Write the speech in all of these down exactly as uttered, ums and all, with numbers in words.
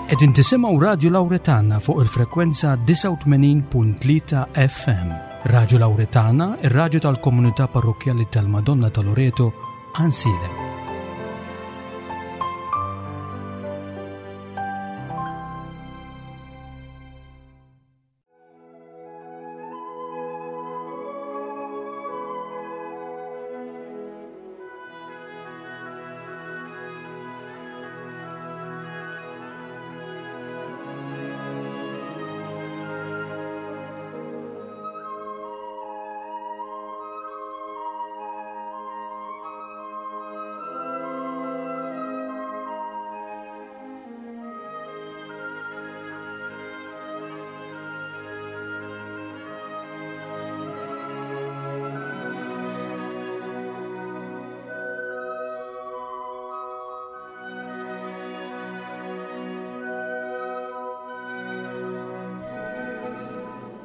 Qegħdin tisimgħu Radju Lawretana fuq il-frekwenza disgħa u tmenin punt tlieta F M. Radju Lawretana, ir-radju tal-komunità parrokkjali tal-Madonna ta' Loreto, Għajnsielem.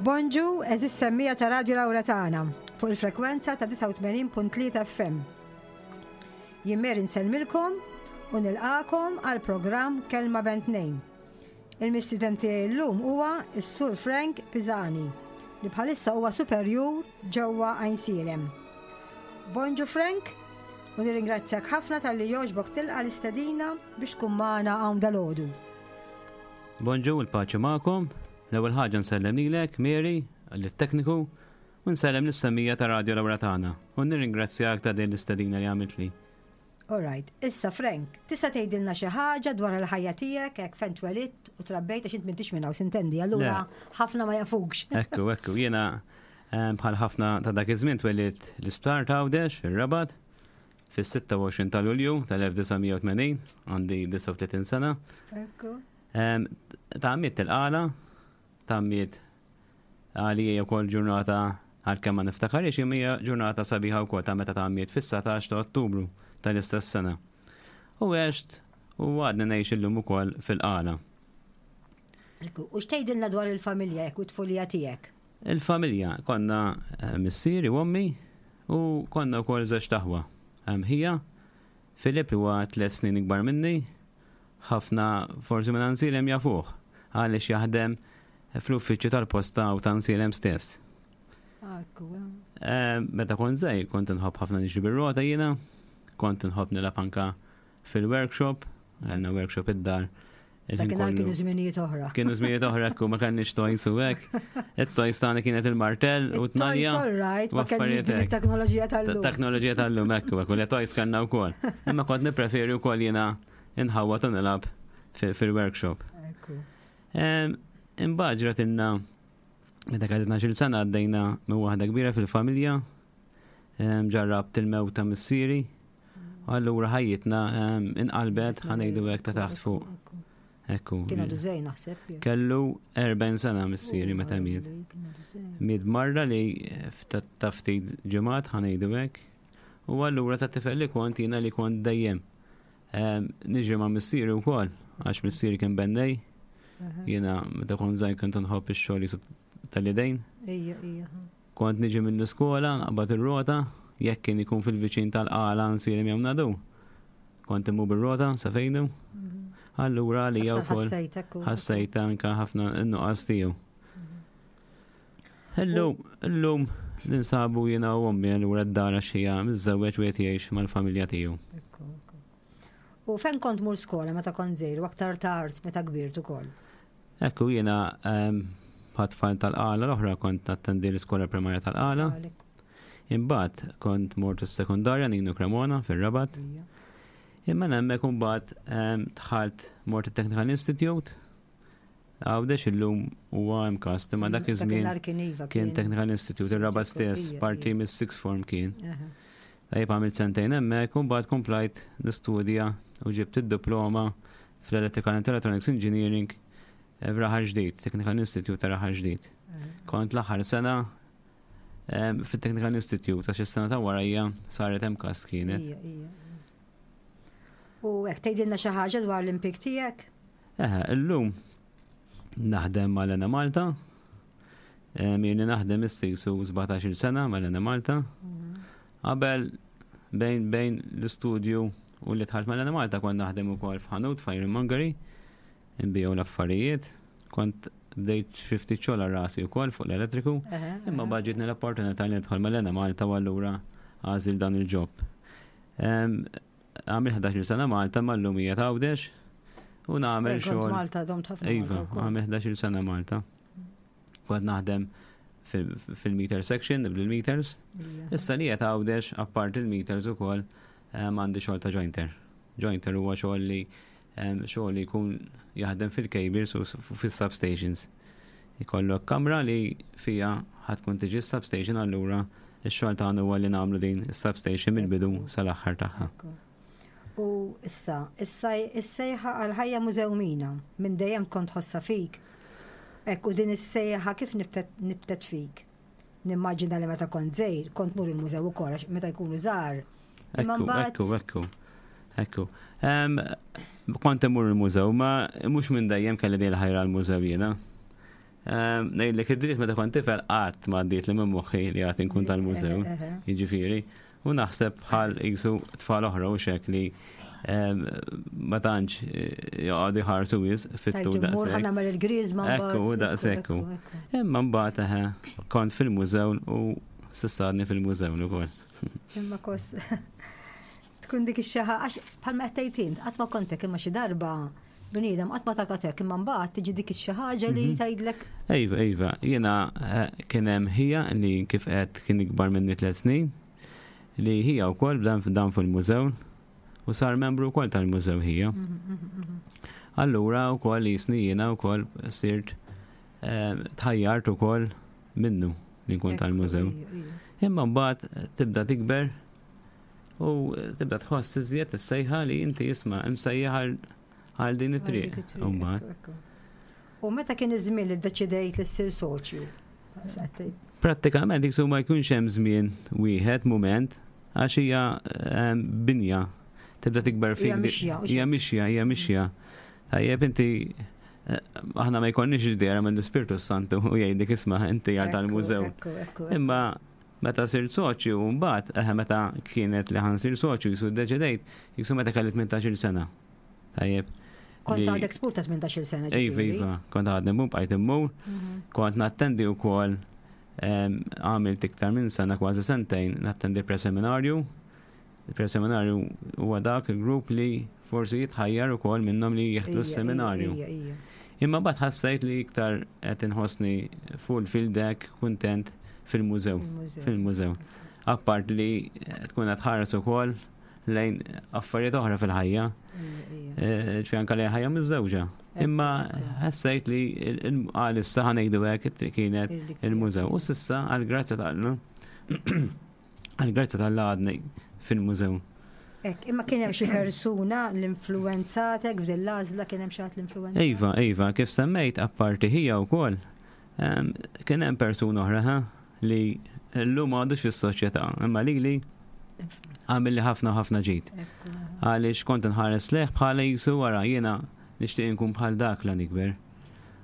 Bonġu, eżis semmija ta' Radio Lawretana fuq il-frekwenza ta' disgħa u tmenin punt tlieta F M. Jien Mary nsellmilkom u nilqakom għal programm Kelma Bejn Tnejn. Il-mistieden tiegħi llum huwa s-Sur Frank Pisani li bħalissa huwa superjur ġewwa Għajnsielem. Bonġu Frank, u nirringrazzjak ħafna talli jogħġbok tilqa' l-istedina biex tkun magħna hawn dalgħodu. Bonġu, il-paċi magħkom. L-ewwel ħaġa nsellem lilek, Mary, lit-tekniku, u nsellem lis-semmija ta' Radio Lawretana. U nirringrazzjak ta' din l-istedina li għamiltli. All right, issa Frank, tista' tgħidilna xi ħaġa dwar il-ħajja tiegħek hekk fejn twelidt u trabbejt għax int m'intix minn hawn sintendi, allura Le. ħafna ma jafukx. Ekku, ekku, jiena, ehm, bħal ħafna ta' dak iż-żmien twelidt l-isptar ta' Għawdex, ir-Rabat, fis-sitta u għoxrin ta' Lulju tal-elf disa' mija u tmenin, għandi disgħa u tletin sena. Ekku. Ehm, ta' għamiet il-qala, ta' għamiet għalija wkoll ġurnata għalkemm ma niftakarix, imma hija ġurnata sabiħa wkoll ta' meta ta' għamiet fis-satax ta' Ottubru tal-istess sena. U għext u għadni ngħix illum ukoll fil-qala. Ekku, u x'tgħidilna dwar il-familja jekk u t-tfulija tiegħek? Il-familja konna, eh, missieri u ommi u konna wkoll żewġ taħwa. Hemm ħija, Filip huwa tliet snin ikbar minni, ħafna forsi minn Għajnsielem jafuh għaliex jaħdem fl-uffiċċju tal-posta u ta' Għajnsielem stess. Ekku, Eh, meta kont żgħir kont inħobb ħafna niġri bir-rota jiena, kont inħobb nilgħab anka fil-workshop, għandna workshop id-dar. Il-ħin Dakinhar kollu. kienu żminijiet oħra. Kienu żminijiet oħra, ekku, ma kellniex toys u hekk. It-toys tagħna kienet il-martell u It-toys t-tnalja. all right, ma u kellniex affarijiet din hekk. it-teknoloġija tal-lum. Teknoloġija tal-lum, ekku, ekku, le toys kellna wkoll. Imma kont nippreferi wkoll jiena inħawwad u nilgħab fi-, fil-workshop. Ekku. Em, imbagħad ġratilna meta kelli tnax-il sena għaddejna minn waħda kbira fil-familja, em, ġarrabt il-mewt ta' missieri, u allura ħajjitna, em, inqalbet, ħanejdu hekk ta' taħt fuq. Ekku. Kien għadu żejn naħseb, jew? Kellu erbgħin sena missieri meta miet. Kien għadu żejn. Miet marra li fta-, ta' ftit ġimgħat ħanejdu hekk. U allura ta' tifel li kont jiena li kont dejjem. Em, niġri ma' missieri wkoll, għax missieri kien bennej. Aha. Jiena meta kont żgħir kont nħobb ix-xogħol jisu tal-idejn. Ija, ija. Kont niġi mill-iskola, naqbad ir-rota, jekk kien ikun fil-viċin tal-qala nsir jew nadu. Kont immu bir-rota sa fejnu. Mhm. Allura li jew Aktar ukoll ħassejtek u- ħassejt anke ħafna n-nuqqas tiegħu. Mhm. Illum, illum ninsabu jiena u ommi allura d-dar għax hija miżżewweġ u qed jgħix mal-familja tiegħu. Ekku, ekku. U fejn kont mur skola meta kont żgħir u aktar tard meta kbirt ukoll? Ekku jiena, ehm, bħat tfal tal-qala l-oħra kont nattendi l-iskola primarja tal-qala. Għalek. Imbagħad kont mort is-sekondarja Nino Cremona fir-Rabat. Ija. Imma hemmhekk imbagħad, ehm, dħalt mort it-Technical Institute. Għawdex illum huwa hemm kast, imma dak Dak iż-żmien in-nar kien iva, kien kien Technical Institute, ir-Rabat stess, Ija, parti ija. mis-sixth form kien. Aha. Tajjeb għamilt sentejn hemmhekk u mbagħad komplajt nistudja u ġibt id-diploma fl-Electrical and Electronics Engineering f'Raħal Ġdid, Technical Institute ta' Raħal Ġdid. Aha. Kont l-aħħar sena, em, fit-Technical Institute, għax is-sena ta' warajja saret hemm kast kienet. Ija, ija. U hekk tgħidilna xi ħaġa dwar l-impjieg tiegħek? Eħe, illum naħdem mal-Enemalta. Em, Jien naħdem is-sisu sbatax-il sena mal-Enemalta. Mhm. Qabel bejn, bejn l-istudju u li dħalt mal-Enemalta kont naħdem ukoll f'ħanut f'ironmongery. Nbiegħu l-affarijiet, kont bdejt xi ftit xogħol għal rasi wkoll fuq l-elettriku, imma ġietni l-opportunità li nidħol mal-Enemalta u allura għażilt dan il-job. Għamilt ħdax-il sena Malta, mal-lum hija Għawdex u nagħmel Kont xogħol. Malta, domt ħafna Iva, Malta wkoll. għamilt ħdax-il sena Malta. Kont naħdem fil- fil-meter section, bil-meters. Ija. Issa li qed Għawdex, apart il-meters ukoll, em, għandi xogħol ta' jointer. Jointer huwa xogħol li em, xogħol li jkun jaħdem fil-cables u s- fis-substations. Ikollok kamra li fija ħa tkun tiġi substation, allura ix-xogħol tagħna huwa li nagħmlu din is-substation mill-bidu sal-aħħar tagħha. Ekku. U issa, issa is-sejħa għal-ħajja mużewmina, minn dejjem kont tħossha fik. Ekku, din is-sejħa kif nibtet, nibtet fik? Nimmaġina li meta kont żgħir, kont mur il-mużew ukoll għax meta jkunu żgħar. Imma Ekku, mbagħad- ekku, ekku. Ekku. Em, Kont immur il-mużew, ma mhux minn dejjem kelli din il-ħajra l-mużew jiena. Em, Ngħidlek id-dritt, meta kont tifel qatt ma għaddiet li minn moħħi li għad inkun tal-mużew. Eħe, eħe. Jiġifieri, u naħseb bħal jisu tfal oħra u xek li em, ma tantx eh, joqogħdu jħarsu wisq fit-tul Tajt immur ħa daqshekk. nagħmel il-griżma mbagħad. Ekku, daqshekk. Ekku, ekku. Imma mbagħad eħe, kont fil-mużew u s'issa għadni fil-mużew ukoll. Imma kos tkun dik ix-xaħa għax bħalma qed tgħid int, qatt ma kontek, imma xi darba bniedem qatt ma takatek, imma mbagħad tiġi dik ix-xi ħaġa li Mhm. tgħidlek. Iva, iva, jiena eh, kien hemm ħija li kif qed kien ikbar minni tliet snin, li ħija wkoll bdan dan fil-mużew u sar membru wkoll tal-mużew ħija. Allura wkoll jisni jiena wkoll sirt eh, tħajjart ukoll minnu li nkun tal-mużew. Ekku, ija, ija. Imma mbagħad tibda tikber u tibda tħoss iżjed is-sejħa li inti jisma' imsejjaħ għal- għal din it-triq. Għal dik it-triq, U mbagħad ekku, ekku. U meta kien iż-żmien li ddeċidejt li ssir soċju? Prattikament jiksu ma jkunx hemm żmien wieħed mument, għax hija em, binja tibda tikber fik. Hija mixja, u Hija mixja, hija mixja. Tajjeb, inti eh, aħna ma jkollniex idea mill-Ispirtu Santu u jgħidlek, "Isma', inti għal tal-mużew." Ekku, ekku, ekku. Imma meta sirt soċju mbagħad, eh, meta kienet li ħa nsir soċju, jisu ddeċidejt, jisu meta kelli tmintax-il sena. Tajjeb. Kont li- għadek tmur ta' tmintax-il sena, Iva, ġifieri. iva, kont għadni mmur, bqajt immur, Mhm. kont nattendi wkoll, em, għamilt iktar minn sena, kważi sentejn, nattendi preseminarju. Il-preseminarju huwa dak il-grupp li forsi jitħajjar ukoll minnhom li jeħdu Ija, s-seminarju. ija, ija. Imma mbagħad ħassejt li iktar qed inħossni fulfilled, kuntent fil-mużew. Il-mużew. Fil-mużew. Apart li tkun qed tħares ukoll lejn affarijiet oħra fil-ħajja, Ija, ija. eh, ġifieri anke lejn ħajja miżżewġa. Imma ħassejt li għal issa, ħa ngħidu hekk, it-triq kienet il-mużew. U s'issa, għal-grazzja ta' għal-grazzja t'Alla għadni fil-mużew. Ek, imma kien hemm xi persuna li influenzatek f'din l-għażla, kien hemm xi ħadd li influenza? Iva, iva, kif semmejt, apparti ħija wkoll, em, kien hemm persuna oħra ha, li llum għadux fis-soċjetà, imma li li għamil li ħafna ħafna ġid. Ekku. Għaliex kont nħares lejh bħala jisu wara jiena nixtieq inkun bħal dak la nikber.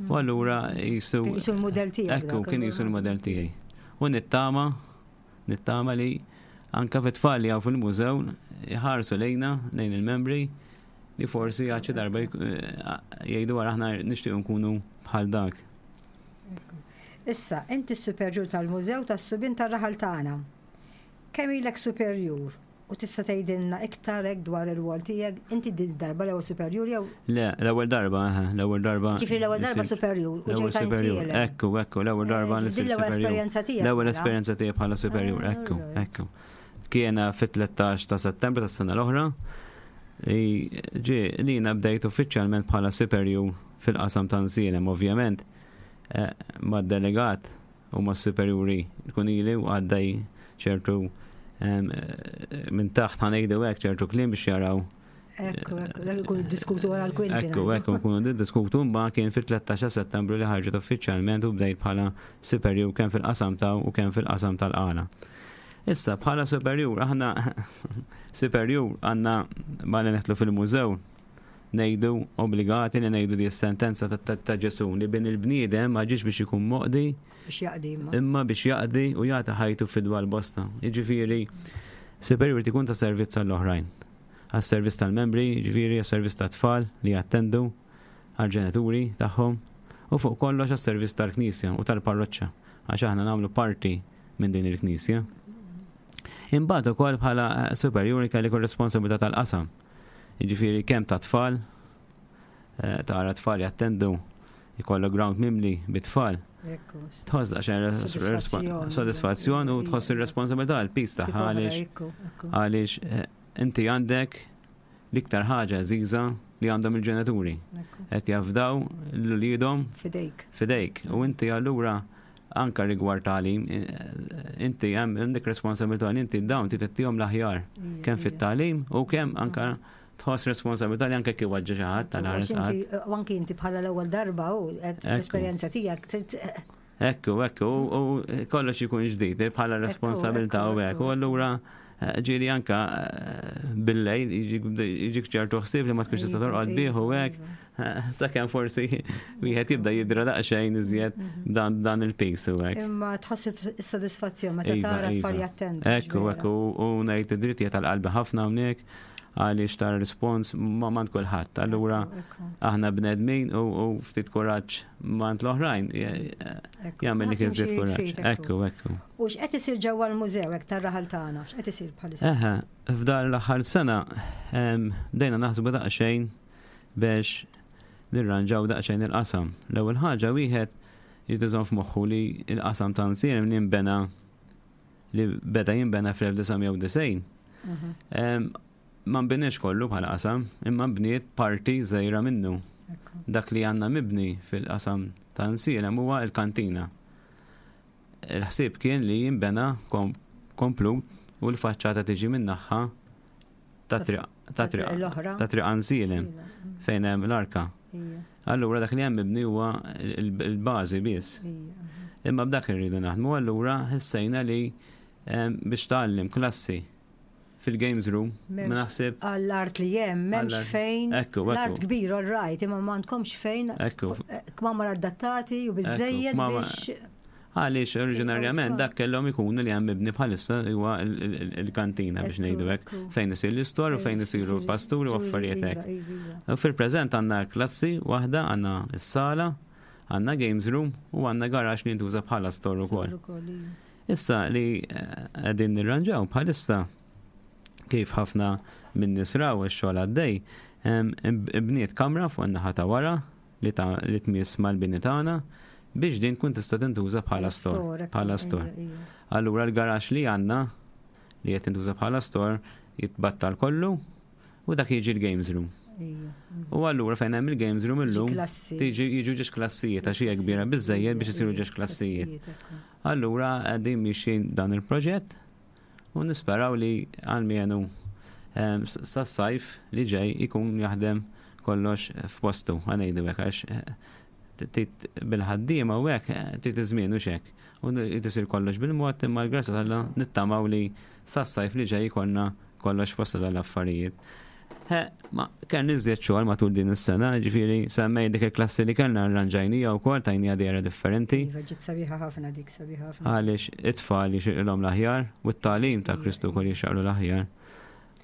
U allura jisu. Kien jisu l-modell tiegħek. Ekku, dak, kien jisu l-modell tiegħi. U nittama, nittama li anka fit-tfal li hawn fil-mużew jħarsu lejna, lejn il-membri, li forsi għad xi darba jk- eh, jgħidu, "Wara aħna nixtieq nkunu bħal dak." Issa, inti s-superjur tal-Mużew tas-Subien tar-raħal tagħna. Kemm ilek superjur? U tista' tgħidilna iktar hekk dwar ir-rwol tiegħek? Inti din darba l-ewwel superjur jew Le, l-ewwel darba, eh, l-ewwel darba. Ġifieri l-ewwel darba sirt- superjur u L-ewwel ġejta superjur. Għajnsielem. Ekku, ekku, l-ewwel darba Eh, li din sirt l-ewwel superjur. esperjenza tiegħek, L-ewwel mela? esperjenza tiegħi bħala superjur, Ah, ekku, alright. ekku. Kiena fit-tlettax ta' Settembru tas-sena l-oħra. Li ġi li jiena bdejt uffiċjalment bħala superjur fil-qasam ta' Għajnsielem, ovvjament, eh, mad-delegat u ma' superjuri tkun ili u għaddej ċertu em, eh, minn taħt, ħa ngħidu hekk, ċertu kliem biex jaraw. Ekku, ekku, dak ikunu diskutu wara l-kwinti. Ekku, ngħidu. ekku, nkunu diskutu, imma kien fit-tlettax ta' Settembru li ħarġet uffiċjalment u bdejt bħala superjur kemm fil-qasam ta' u kemm fil-qasam tal-Qala. Issa bħala superjur, aħna superjur għandna malli neħtlu fil-mużew ngħidu, obbligati li ngħidu di sentenza ta'- ta' ta' Ġesu li bin il-bniedem ma ġiex biex ikun moqdi Biex jaqdi imma. imma biex jaqdi u jagħti ħajtu fidwa l-bosta. Jiġifieri superjur tikun ta' servizz għall-oħrajn. Għas-servizz tal-membri, jiġifieri għas-servizz tat-tfal li jattendu, għal-ġenituri tagħhom u fuq kollox għas-servizz tal-Knisja u tal-parroċċa għax aħna nagħmlu parti minn din il-Knisja. Imbagħad ukoll bħala superjuri kelli kull responsabilità tal-qasam. Jiġifieri kemm ta' tfal, eh, tara tfal jattendu jkollu ground mimli bit-tfal. Tħoss daqsxejn sodisfazzjon u tħoss ir-responsabilità l-piż tagħha għaliex għaliex eh, inti għandek l-iktar ħaġa għażiża li għandhom il-ġenituri. Qed jafdaw l-uliedhom fidejk. Fidejk. U inti allura anka rigward tagħlim, eh, inti hemm għandek responsabilità li inti dawn titihom l-aħjar kemm fit-tagħlim u kemm anka tħoss responsabilità li anke kif waġġa xi ħadd tal-ħares. U anki inti bħala l-ewwel darba u l-esperjenza tiegħek. Ekku, ekku, u kollox ikun ġdid bħala responsabilità u hekk. U allura eh, ġieli anka eh, bil-lejl jiġik ċertu ħsieb li ma tkunx tista' torqod bih u hekk. Sakemm forsi wieħed jibda jidra daqsxejn iżjed mhm. dan dan il-piż u hekk. Imma tħoss is-sodisfazzjon meta iva, tara tfal iva. jattendu. Ekku, ekku, u ngħid id-drittijiet tal-qalbi ħafna hawnhekk għaliex tar rispons ma mant kulħadd. Allura aħna bnedmin u ftit kuraġġ mant l-oħrajn jagħmel dik iżjed kuraġġ. Ekku, ekku. U x'qed isir ġewwa l-mużew hekk tar-raħal tagħna? X'qed isir bħalissa? Eħe, f'dar l-aħħar sena bdejna naħsbu daqsxejn biex nirranġaw daqsxejn il-qasam. L-ewwel ħaġa wieħed jrid iżomm f'moħħu li l-qasam ta' Nsirem li nbena li beda jinbena fl-elf disa' mija u disgħin. Mhm. Ma nbinix kollu bħala qasam, imma bniet parti żgħira minnu. Dak li għandna mibni fil-qasam ta' Nsielem huwa l-kantina. Il-ħsieb kien li jinbena komplut u l-faċċata tiġi min-naħa ta' triq Għansielem fejn hemm l-arka. Allura dak li hemm mibni huwa l-bażi biss. Imma b'dak irridu naħdmu, allura ħissejna li biex tgħallim klassi fil-games room, ma naħseb. Għall-art li hemm, m'hemmx fejn. Ekku, ekku. L-art kbir, all right, imma m'għandkomx fejn. Ekku. Kmamar adattati u biżejjed biex. Għaliex oriġinarjament dak kellhom ikunu li hemm mibni bħalissa huwa il-kantina biex ngħidu hekk, fejn isir l-istor u fejn isiru l-pasturi u affarijiet hekk. U fil-preżent għandna klassi waħda, għandna s-sala, għandna games room u għandna garax li jintuża bħala store ukoll. Issa li qegħdin nirranġaw bħalissa kif ħafna minn nies raw ix-xogħol għaddej, bniet kamra fuq in-naħa ta' wara li li tmiss mal-bini tagħna biex din tkun tista' tintuża bħala store, bħala store. Allura l-garax li għandna li qed tintuża bħala store jitbattal kollu u dak jiġi l-games room. U allura fejn hemm il-games room illum tiġi jiġu ġiex klassijiet għax hija kbira biżejjed biex isiru ġiex klassijiet. Allura qegħdin mixjin dan il-proġett u nisperaw li għalmenu sas-sajf li ġej ikun jaħdem kollox f'postu, għanejdu hekk għax bil-ħaddiema u hekk trid iż-żmien u xek. U tisir kollox bil-mod imma l-grazzja t'Alla nittamaw li sas-sajf li ġej ikollna kollox f'postu dal-affarijiet. Ma kellna iżjed xogħol matul din is-sena, ġifieri semmej dik il-klassi li kellna rranġajnija wkoll tajnija dehra differenti. Iva, ġiet sabiħa ħafna dik, sabiħa ħafna. Għaliex it-tfal jixirqilhom l-aħjar u t-tagħlim ta' Kristu wkoll jixraqlu l-aħjar.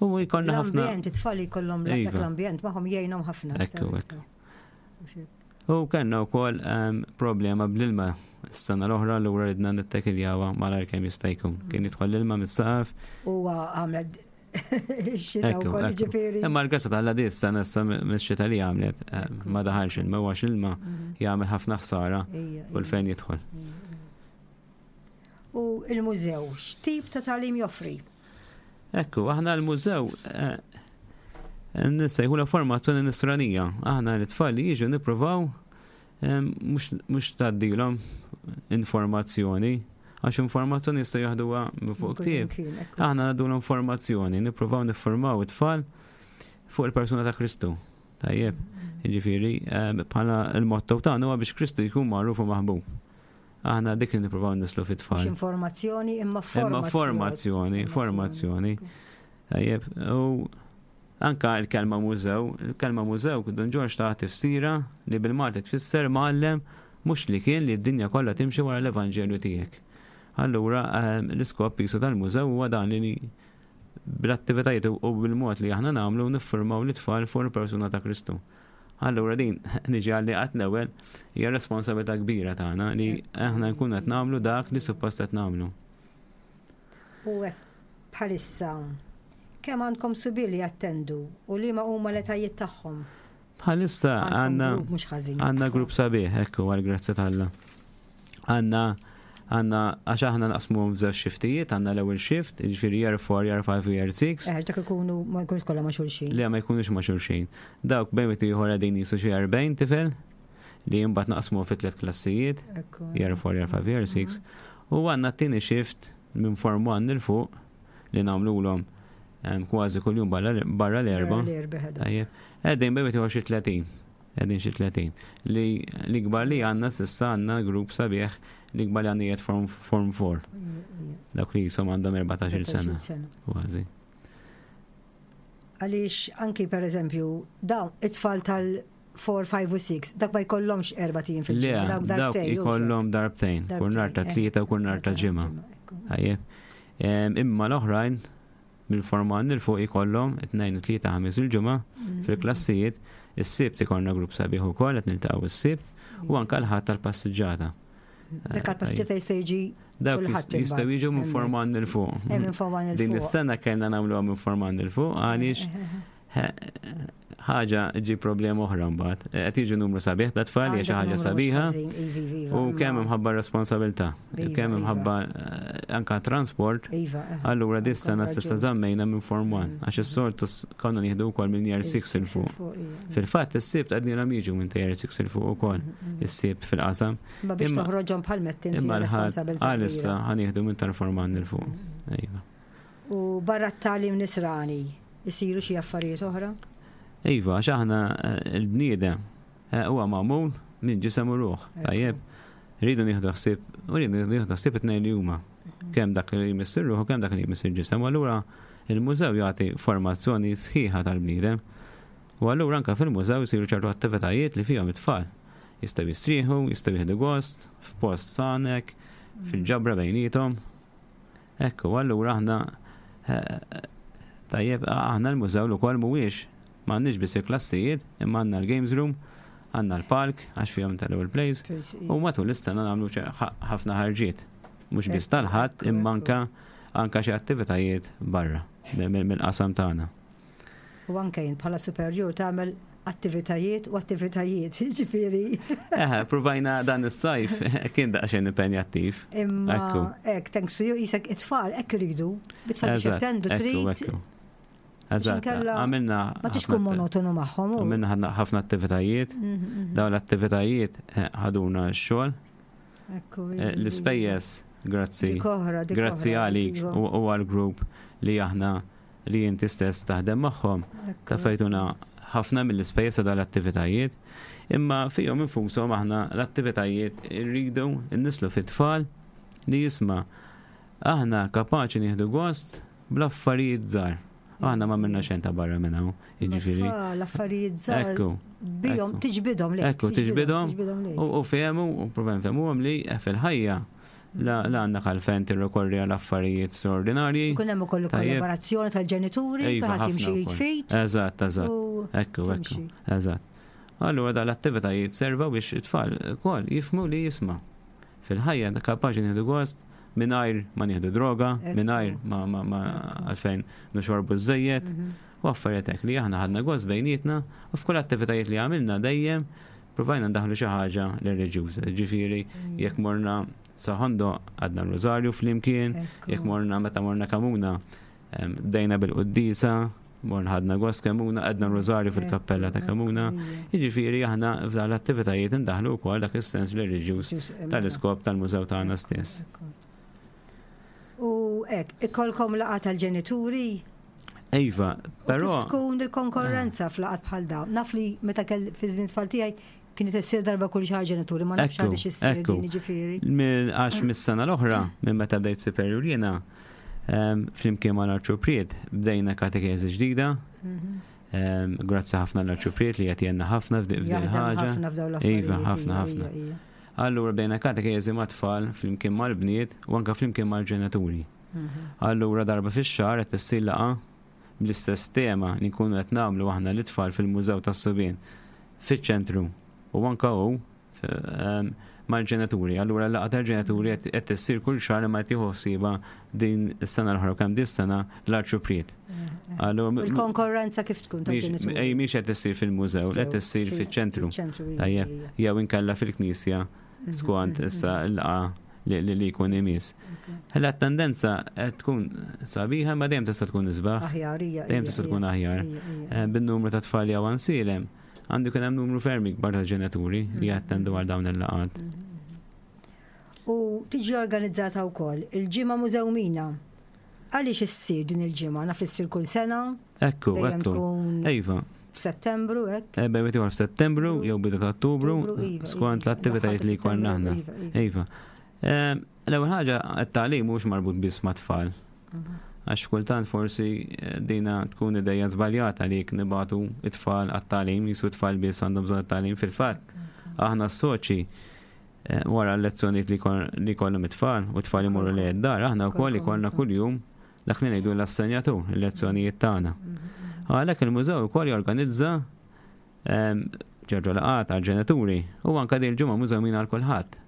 U jkollna ħafna. L-ambjent, it-tfal jkollhom Iva. l-ambjent magħhom jgħinhom ħafna. Ekku, ekku. U kellna wkoll, ehm, problema bl-ilma s-sena l-oħra l ura ridna nittekiljawha malajr kemm jista' jkun. Kien jidħol l-ilma mis-saqaf. Huwa għamlet ix-xita Ekku, wkoll, ekku. ġifieri. Imma l-grazzja t'Alla di s-sena issa mix-xita li għamlet, eh, ma daħalx ilma, għax ilma Mhm. jagħmel ħafna ħsara Ija, u l-fejn jidħol. U il-mużew, x'tip ta' tagħlim joffri? Ekku, aħna l-mużew, eh, nsejħu la formazzjoni nisranija. Aħna l-tfal li jiġu nippruvaw, em, mhux, mhux tgħaddilhom informazzjoni, għax informazzjoni jistgħu jaħduha minn fuq Kull ktieb. imkien, ekku. Aħna ngħaddu l-informazzjoni, nippruvaw niffurmaw it-tfal fuq il-persuna ta' Kristu. Tajjeb, jiġifieri, em, bħala il-motto tagħna huwa biex Kristu jkun magħruf u maħbub. Aħna dik li nippruvaw nislu fit-tfal. Mhux informazzjoni, imma Imma formazzjoni. formazzjoni, formazzjoni. Tajjeb, u anka il-kelma mużew, il-kelma mużew, Dun Ġorġ ta' tifsira li bil-Malti tfisser mgħallem mhux li kien li d-dinja kollha timxi wara l-Evanġelju tiegħek. Allura, ehm, l-iskop jisu tal-mużew huwa dan li bl-attivitajiet u bil-mod li aħna nagħmlu niffurmaw l-itfal fuq il-persuna ta' Kristu. Allura din niġi għalli qatt l-ewwel hija responsabilità kbira tagħna li aħna nkunu qed nagħmlu dak li suppost qed nagħmlu. U hekk bħalissa kemm għandkom subien li jattendu u liema huma l-etajiet tagħhom? Bħalissa għandna mhux ħażin. Għandna grupp sabiħ, ekku għal grazzja t'Alla. Għandna għandna għax aħna naqsmu f'żewġ shiftijiet, għandna l-ewwel shift, jiġifieri year four, year five u year six. Eh, dak ikunu ma jkunux kollha ma' xulxin. Li ma jkunux ma' xulxin. Dawk bejn wieħed ieħor qegħdin jisu xi erbgħin tifel li mbagħad naqsmu fi tliet klassijiet, year four, year five, year six. U għandna t-tieni shift minn form one 'il fuq li nagħmluhom kważi kuljum barra l-Erbgħa. Tajjeb. Qegħdin bejn wieħed xi tletin. Qegħdin xi tletin. Li l-ikbar li għandna s'issa għandna grupp sabiħ li kbar li għandna form, form four. Dawk li jisom għandhom erbatax-il sena. Kważi. Għaliex anki per eżempju, dawn it-tfal tal four, five u six, dak ma jkollhomx erbat ijiem fil-ġimgħa. Dawk ikollhom darbtejn, kull nhar ta' Tlieta u kull nhar ta' Ġimgħa. Imma l-oħrajn mill-form one 'il fuq ikollhom it-Tnejn, it-Tlieta, Ħamis, il-Ġimgħa mm. fil-klassijiet, is-Sibt ikollna grupp sabiħ ukoll qed niltaqgħu is-Sibt u anke l-Ħadd tal-passiġġata. Dak għal-passiġġata jista' jiġi Dawk jistgħu jiġu minn form one 'il fuq. Eh, minn form one 'il fuq. Din is-sena kellna nagħmluha minn form one 'il fuq għaliex ħaġa ġi problema oħra mbagħad. Qed jiġu numru sabiħ ta' tfal, hija xi ħaġa sabiħa. Iva, iva, U kemm imħabba responsabilità, kemm imħabba eh, anka transport. Iva, eh. Allura dis-sena s'issa żammejna minn form one għax is-soltu konna nieħdu wkoll minn year six 'il fuq. Fil-fatt is-Sibt għadni jiġu minn ta' year six 'il fuq ukoll is-Sibt fil-qasam. Ma biex toħroġhom bħal mettin. Imma l-Ħadd għalissa ħa nieħdu minn tal-form one 'il fuq. Iva. U barra t-tagħlim nisrani, isiru xi affarijiet oħra? Iva, għax aħna eh, il-bniedem eh, huwa magħmul minn ġisem u ruħ. Tajjeb, rridu nieħdu ħsieb, u rridu nieħdu ħsieb it-tnejn li huma. Kemm dak li jmiss ir-ruħ u kemm dak li jmiss il-ġisem. U allura il-mużew jagħti formazzjoni sħiħa tal-bniedem. U allura anke fil-mużew jsiru ċertu attivitajiet li fihom it-tfal. Jistgħu jistrieħu, jistgħu jieħdu gost, f'post sanek, fil-ġabra bejniethom. Ekku, allura aħna eh, tajjeb, aħna l-mużew l-ukoll mhuwiex m'għandniex biss il-klassijiet, imma għandna l-games room, għandna l-park, għax fihom tal-ewwel plays, u matul is-sena nagħmlu ħafna ħarġiet. Mhux biss tal-Ħadd, imma anka anka xi attivitajiet barra mill-qasam tagħna. U anke jien bħala superjur tagħmel attivitajiet u attivitajiet, ġifieri. Eh, provajna dan is-sajf, kien daqsxejn impenjattiv. Imma hekk, thanks to you, jisek it-tfal hekk iridu, bit-tfal biex jattendu trid. Eżatt, għamilna. Ma tix tkun monotonu magħhom. Għamilna ħafna attivitajiet. Mhm, mhm. Dawn l-attivitajiet eh, ħaduna x-xogħol. Eh, l-ispejjeż, grazzi. Grazzi għalik u għal-grupp li aħna li inti stess taħdem magħhom. Taffejtuna ħafna mill-ispejjeż ta' dal-attivitajiet. Imma fihom infushom aħna l-attivitajiet irridu nnislu fit-tfal li jisma' aħna kapaċi nieħdu gost bl-affarijiet żgħar. Aħna ma minna xejn ta' barra minn hawn, jiġifieri. L-affarijiet żgħar. Ekku. Bihom tiġbidhom lejk. Ekku, tiġbidhom u fehmu u provajn fehmuhom li fil-ħajja la għandna għalfejn tirrikorri għal affarijiet straordinarji. Kun hemm ukoll kollaborazzjoni tal-ġenituri, kulħadd jimxi jitfit. Eżatt, eżatt. Ekku, ekku. Eżatt. Allura dal-attivitajiet serva biex it-tfal ukoll jifhmu li jisma'. Fil-ħajja kapaċi nieħdu gost mingħajr ma nieħdu droga, mingħajr ma ma għalfejn nixorbu żejjed, mhm. u affarijiet hekk li aħna ħadna gost bejnietna u f'kull attivitajiet li għamilna dejjem provajna ndaħlu xi ħaġa reliġjuża. Ġifieri mm. jekk morna Sa Ħondoq għedna r-Rużarju flimkien, jekk morna meta morna Kemmuna bdejna bil-quddisa, morna ħadna gost Kemmuna, għedna r-Rużarju fil-kappella ta' Kemmuna. Jiġifieri aħna f'dan l-attivitajiet indaħlu wkoll dak is-sens reliġjuż tal-iskop tal-mużew tagħna stess. U hekk, ikolkom laqgħa tal-ġenituri? Iva, però. Tkun il-konkorrenza f'laqgħat bħal dawn. Naf li meta kell fi żmien tfal tiegħi kienet issir darba kull xahar ġenituri, ma nafx għadix issir din ġifieri. Għax mis-sena l-oħra, minn meta bdejt superior jiena, flimkien ma l-Arċupriet, bdejna katekezi ġdida. Mhm. Grazzi ħafna l-Arċupriet li qed jgħinna ħafna f'din ħaġa. Iva, ħafna, ħafna. Allura bdejna katekezi ma' tfal flimkien mal-bniet u anka flimkien mal-ġenituri. Mhm. Allura darba fix-xahar qed issir laqgħa bl-istess tema li nkunu qed nagħmlu aħna l-itfal fil-Mużew tas-Subien fiċ-ċentru u anka hu mal-ġenituri. Allura l-laqgħa tal-ġenituri qed issir kull xahar ma tieħu ħsiebha din is-sena l-oħra kemm din sena l-arċupriet. Il-konkurrenza kif tkun tal-ġenituri? Ej, mhix qed issir fil-mużew, qed issir fiċ-ċentru. Tajjeb, jew inkella fil-knisja mhm, skont mhm, issa mhm. l-laqgħa li jkun imiss. Ħella tendenza qed tkun sabiħa ma dejjem tista' tkun isbaħ. Aħjar, Dejjem tista' tkun aħjar. Eh, bin-numru ta' tfal jew ansilem għandu kien hemm numru ferm ikbar ta' ġenituri li jattendu għal dawn il-laqgħat. U tiġi organizzata wkoll il-ġimgħa Mużewmina. Għaliex issir din il-ġimgħa? Naf li ssir kull sena? Ekku, ekku. Iva. F'Settembru, hekk? Eh, bejn ieħor f'Settembru jew bidu ta' Ottubru, iva, iva. skont l-attivitajiet li jkollna aħna. Iva, iva. Ehm, l-ewwel ħaġa, t-tagħlim mhux marbut biss mat-tfal. Mhm. Għax kultant forsi eh, dina tkun ideja żbaljata li jekk nibatu it-tfal għat-tagħlim, jisu t-tfal biss għandhom bżonn it-tagħlim fil-fatt. Aħna s-soċi eh, wara l-lezzjonijiet li jkollhom it-tfal u t-tfal imorru li d-dar, aħna wkoll ikollna kuljum dak li ngħidu l-assenjatur, il-lezzjonijiet tagħna. Mhm. Għalhekk il-mużew ukoll jorganizza ehm, ċertu laqgħat għal-ġenituri u anke din il-ġimgħa mużewmin għal kulħadd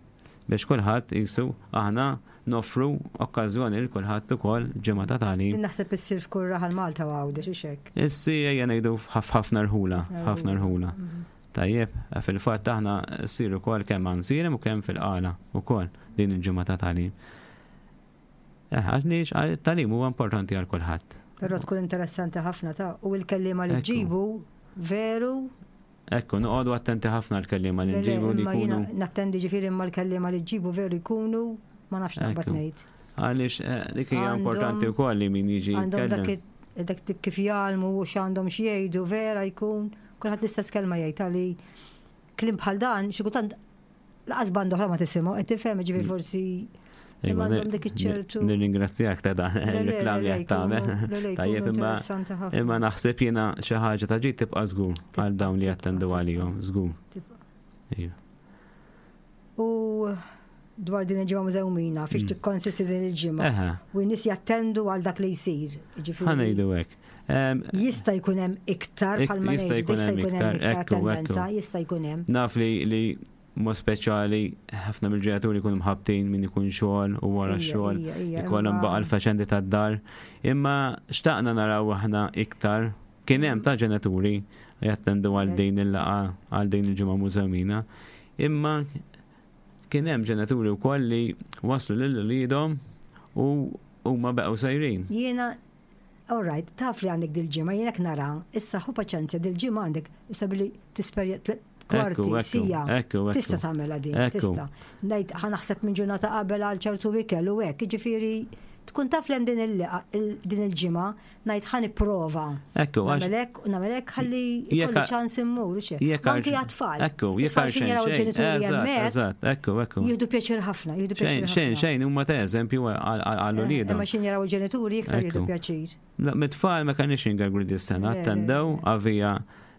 biex kulħadd jisu aħna noffru okkażjoni lil kulħadd ukoll ġimgħa ta' tagħlim. Din naħseb issir f'kull raħal Malta u Għawdex hux hekk? Issir ejja ngħidu f'ħafna rħula, f'ħafna rħula. Mhm. Tajjeb, fil-fatt aħna ssir ukoll kemm għan u kemm fil-qala ukoll din il-ġimgħa ta' tagħlim. Eh, għax tagħlim huwa importanti għal kulħadd. Però tkun interessanti ħafna ta' u l-kelliema li ġibu veru Ekku, noqogħdu attenti ħafna l-kelliema li nġibu li jkunu. Nattendi ġifieri imma l-kelliema li ġibu veru jkunu ma nafx naqbad ngħid. Għaliex eh, dik hija importanti wkoll li min jiġi jitkellem. Dak tip kif jgħallmu u x'għandhom xi vera jkun kulħadd l-istess kelma jgħid għali kliem bħal dan xi kultant laqas band oħra ma tisimgħu, qed tifhem ġifieri mm. forsi Imma għandhom dik iċ-ċertu. Nirringrazzjak ta' dan il-reklam li qed tagħmel. Tajjeb imma imma naħseb jiena xi ħaġa ta' ġid tibqa' żgur għal dawn li jattendu għalihom, żgur. Iva. U dwar din il-ġimgħa mużewmina, fiex mm. tikkonsisti din il-ġimgħa. U n-nies jattendu għal dak li jsir. Ħa ngħidu hekk. Jista' jkun hemm iktar bħalma jista' jkun hemm iktar tendenza, jista' jkun hemm. Naf li li mod speċjali ħafna mill-ġenituri jkunu mħabbtin min ikun xogħol u wara x-xogħol ikollhom baqa' l-faċendi tad-dar. Imma xtaqna naraw aħna iktar kien hemm ta' ġenituri jattendu għal din il-laqgħa għal din il-ġimgħa mużewmina. Imma kien hemm ġenituri wkoll li waslu lil uliedhom u huma baqgħu sejrin. Jiena All right, taf li għandek dil-ġimgħa, jiena nara, issa ħu paċenzja dil-ġimgħa għandek, issa billi tisperja kwarti, sija. Tista' tagħmilha din, tista'. Ngħid ħa naħseb minn ġurnata qabel għal ċertu ikel u hekk, jiġifieri tkun taf l din din il-ġimgħa ngħid ħa nipprova. Ekku, nagħmel hekk u nagħmel hekk ħalli jkolli ċans immur u xejn. Anki għat-tfal. Ekku, jekk għal xejn jaraw il-ġenituri hemmhekk. Eżatt, ekku, ekku. Jieħdu pjaċir ħafna, jieħdu pjaċir. Xejn, xejn huma ta' eżempju għal uliedhom. Imma xejn jaraw il-ġenituri iktar jieħdu pjaċir. Mit-tfal ma kenniex ingergru dis-sena, attendew għavija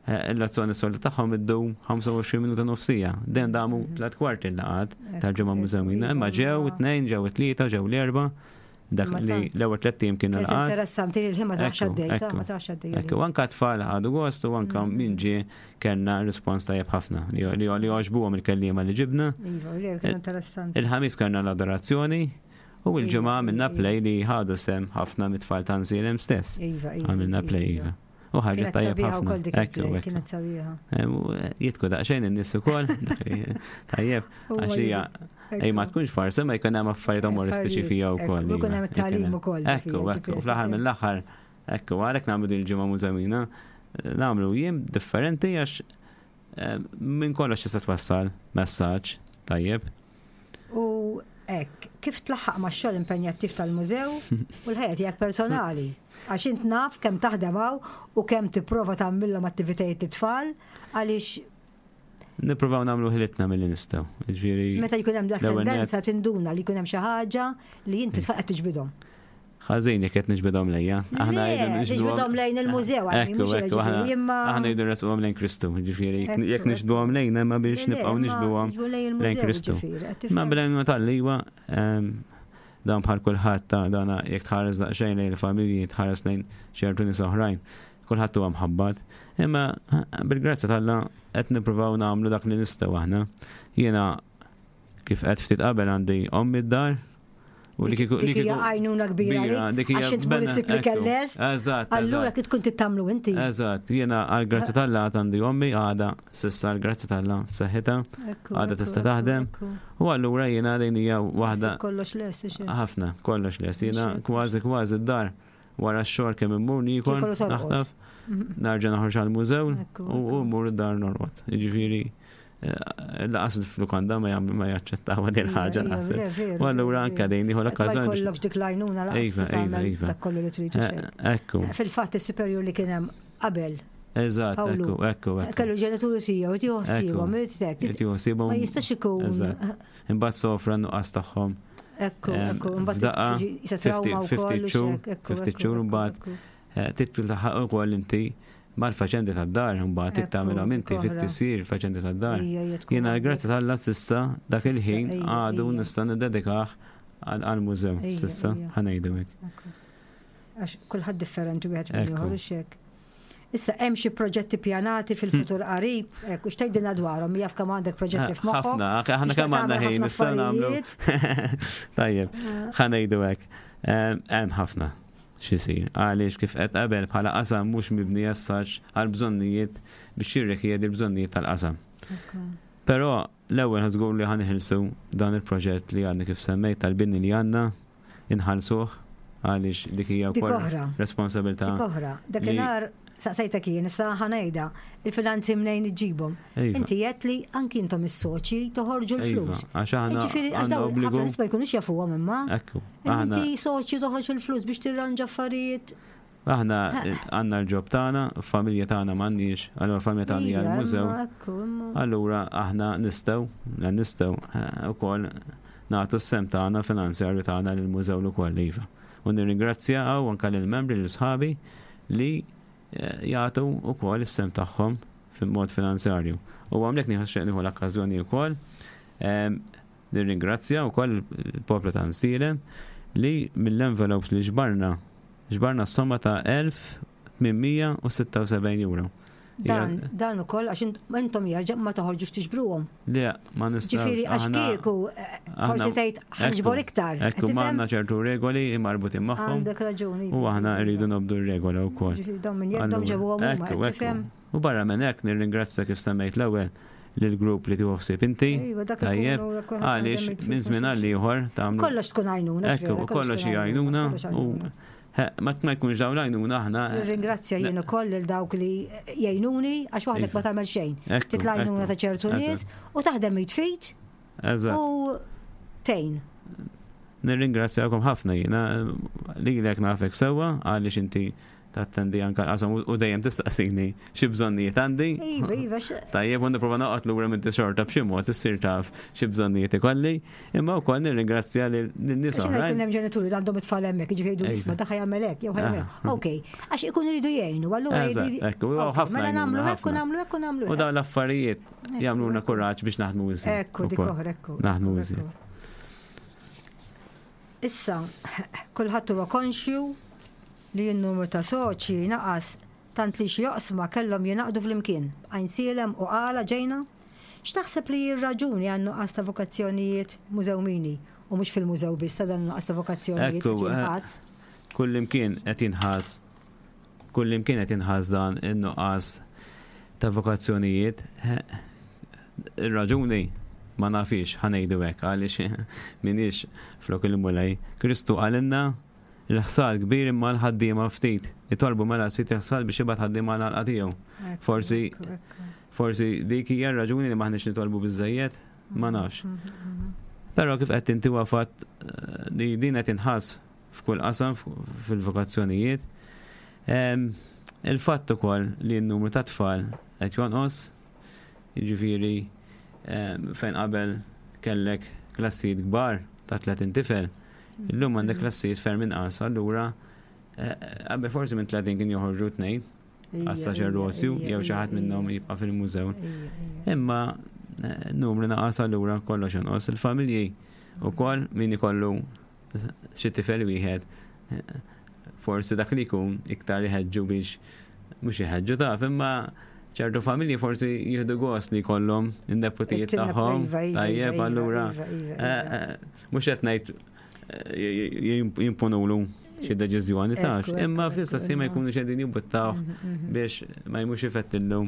eh, l-azzjoni solta tagħhom iddum ħamsa u għoxrin minuta nofsija. Den damu mhm. tliet kwarti l-laqat tal-ġimgħa mużewmina, imma ġew it-tnejn, ġew it-tlieta, ġew l-erba' dak li l-ewwel tliet tim kienu laqat. Interessanti li l-ħin ma tarax għaddej, ma tarax għaddej. Ekku, anka tfal ħadu gost u anka mm. min ġie kellna rispons tajjeb ħafna li li għoġbuhom il-kelliema li ġibna. Iva, li kienu interessanti. Il-ħamis kellna l-adorazzjoni u l-ġimgħa iva, għamilna iva. play li ħadu sem ħafna mit-tfal ta' Nżilem stess. Iva, iva. Għamilna play, iva. U ħarġet tajjeb ħafna. Ekku, kienet sabiħa. Eh, jitku daqsxejn in-nies ukoll. Tajjeb, għax hija ej ma tkunx farsa ma jkun hemm affarijiet umoristiċi fija wkoll. Jkun hemm tagħlim ukoll. Ekku, ekku, fl-aħħar mill-aħħar, ekku, għalhekk nagħmlu din il-ġimgħa mużamina, nagħmlu jiem differenti għax eh, minn kollox tista' twassal messaġġ tajjeb. U hekk, kif tlaħħaq max-xogħol impenjattiv tal-mużew u l-ħajja tiegħek personali? Għax int naf kemm taħdem hawn u kemm tipprova tagħmilhom attivitajiet lit-tfal għaliex Nippruvaw nagħmlu ħilitna milli nistgħu. Jiġifieri Meta jkun hemm dak tendenza tinduna li jkun hemm xi ħaġa li inti tfal qed tiġbidhom. Ħażin jekk qed niġbidhom lejja. Aħna jridu niġbidhom lejn il-mużew għal mhux jiġifieri imma. Aħna jridu nresquhom lejn Kristu, jiġifieri jekk niġbduhom lejn imma biex nibqgħu niġbduhom lejn Kristu. Ma bl-għajnuna tal-liwa ehm, dan bħal kulħadd ta' dana jekk tħares daqsxejn lejn il-familji, tħares lejn ċertu nies oħrajn. Kulħadd huwa mħabbat. Imma bil-grazzja t'Alla qed nippruvaw nagħmlu dak li nistgħu aħna. Jiena kif qed ftit qabel għandi ommi d-dar u li kieku li kieku għajnuna kbira. Dik hija għax int mur issib li kellest. Eżatt. Allura kif tkun tittamlu inti. Eżatt, jiena għall-grazzja t'Alla għad għandi ommi għada s'issa għall-grazzja t'Alla f'saħħitha, għada tista' taħdem. U allura jiena din hija waħda Kollox lest, ħafna, kollox lest. Jiena kważi kważi d-dar wara x-xogħol kemm immur niekol, naħtaf, narġa' noħroġ għall-mużew u mmur id-dar norqod. Jiġifieri lanqas il-lukanda ma jaċċettaw din ħaġa naħseb. U allura anke din nieħu l-okkażjoni. Ma jkollokx dik l-għajnuna lanqas tagħmel dak kollu li trid Ekku. Fil-fatt is-superjur li kien hemm qabel. Eżatt, ekku, ekku. Kellu ġenituri tiegħu, irid ħsiebhom, irid hekk. Irid ħsiebhom. Ma jistax ikun. Imbagħad sofra nuqqas tagħhom. Ekku, ekku, imbagħad tiġi trauma wkoll. Ftit xhur imbagħad titlu taħħaq ukoll inti mal-faċendi tad-dar, mbagħad tagħmilhom inti fit-tisir faċendi tad-dar. Jiena grazzi t'Alla s'issa dak il-ħin għadu nista' niddedikah għall-mużew s'issa ħa ngħidu hekk. Għax kulħadd differenti wieħed minn ieħor hekk. Issa hemm xi proġetti pjanati fil-futur qarib, hekk u x'tgħidilna dwarhom, jaf kemm għandek proġetti f'moħħok. Ħafna, aħna kemm għandna ħin nistgħu nagħmlu. Tajjeb, ħa ngħidu hekk. Hemm ħafna x'isir. Għaliex kif qed qabel bħala qasam mhux mibni jassax għal bżonnijiet biex jirrikjedi l-bżonnijiet tal-qasam. Però l-ewwel ħażgur li ħanħilsu dan il-proġett li għandna kif semmejt tal-bini li għandna inħallsuh għaliex dik hija wkoll responsabilità. Dik oħra. Dakinhar saqsejtek jien, issa ħa ngħidha, il-finanzi mnejn iġġibhom. Inti qed li anki intom is-soċi toħorġu l-flus. Għax aħna għandna obbligu. Ħafna nies ma jkunux jafuhom imma. Ekku. Inti soċi toħroġ il-flus biex tirranġa affarijiet. Aħna għandna l-job tagħna, familja tagħna m'għandniex, allura familja tagħna hija l-mużew. Allura aħna nistgħu, nistgħu wkoll nagħtu s-sem tagħna finanzjarju tagħna lill-mużew ukoll iva. U nirringrazzja anke lill-membri lil sħabi li jagħtu wkoll is-sem tagħhom fil-mod finanzjarju. U għamlek nieħu nieħu l-okkażjoni wkoll nirringrazzja wkoll il-poplu ta' Għajnsielem li mill-envelopes li ġbarna ġbarna s-somma ta' elf tmien mija u sitta u sebgħin euro. Dan, dan ukoll għax intom jerġa' ma toħorġux tiġbruhom. Le, ma nistgħux. Ġifieri għax kieku forsi tgħid ħanġbor iktar. Ekku m'għandna ċertu regoli marbutin magħhom. Għandek raġuni. U aħna rridu nobdu r-regola wkoll. Ġifieri dawn minn jeddhom ġebuhom huma, tifhem? U barra minn hekk nirringrazzja kif semmejt l-ewwel lill-grupp li tieħu ħsieb inti. Tajjeb, għaliex minn żmien għal ieħor tagħmlu. Kollox tkun għajnuna. Ekku, kollox hija għajnuna u ma jkunx dawn l-għajnuna aħna. Nirringrazzja jien ukoll lil dawk li jgħinuni għax waħdek ma tagħmel xejn. Titla' għajnuna ta' ċertu nies u taħdem jitfit. U tgħin. Nirringrazzjakom ħafna jiena lilek nafek sewwa għaliex inti tattendi anke l-qasam u dejjem tistaqsini xi bżonnijiet għandi. Iva, iva. Tajjeb, u nipprova noqgħod lura minn xorta b'xi mod issir taf xi bżonnijiet ikolli, imma wkoll nirringrazzja lin-nies oħrajn. Kien hemm ġenituri li għandhom it-tfal hemmhekk, jiġifieri jgħidu isma' dak jagħmel hekk jew jagħmel hekk. Okej, għax ikunu jridu jgħinu, allura Ekku, ħafna. Mela nagħmlu hekk u nagħmlu hekk u nagħmlu. U dawn l-affarijiet jagħmluna kuraġġ biex naħdmu iżjed. Ekku, dik oħra, ekku. Naħdmu iżjed. Issa, kulħadd huwa konxju li n-numru ta' soċi naqas tant li xi joqsma kellhom jingħaqdu flimkien. Għajnsielem u Qala ġejna. X'taħseb li r-raġuni għan nuqqas ta' vokazzjonijiet mużewmini u mhux fil-mużew biss ta' dan nuqqas ta' vokazzjonijiet qed jinħass? Kullimkien qed jinħass, kullimkien qed jinħass dan in-nuqqas ta' vokazzjonijiet. Ir-raġuni ma nafix ħa ngħidu hekk għaliex m'iniex flok il-Mulej. Kristu qalilna il-ħsad kbir imma l-ħaddiema ftit. Itolbu mela sit il-ħsad biex jibgħat ħaddiema għal tiegħu. Forsi forsi dik hija r-raġuni li m'aħniex nitolbu biżżejjed, ma nafx. Però kif qed inti huwa fatt li din qed inħass f'kull qasam fil-vokazzjonijiet. Il-fatt ukoll li n-numru ta' tfal qed jonqos, jiġifieri fejn qabel kellek klassijiet kbar ta' tletin tifel, illum għandek klassijiet ferm inqas, allura qabel forsi minn tletin kien joħorġu tnejn għas-saċerdozju jew xi ħadd minnhom jibqa' fil-mużew. Imma numru naqas allura kollox jonqos. Il-familji wkoll min ikollu xi tifel wieħed forsi dak li jkun iktar iħeġġu biex mhux iħeġġu taf, imma ċertu familji forsi jieħdu gost li jkollhom in-nepotijiet tagħhom. Iva, iva, Tajjeb, iva, allura iva, iva, eh, iva. eh, mhux qed ngħid eh, jimponulu xi deċiżjoni tax, Ekku, ekku, imma fl-istess ħin ma ekku, jkunu qegħdin jimbuttawh Mhm, mhm. biex ma jmux ifettillu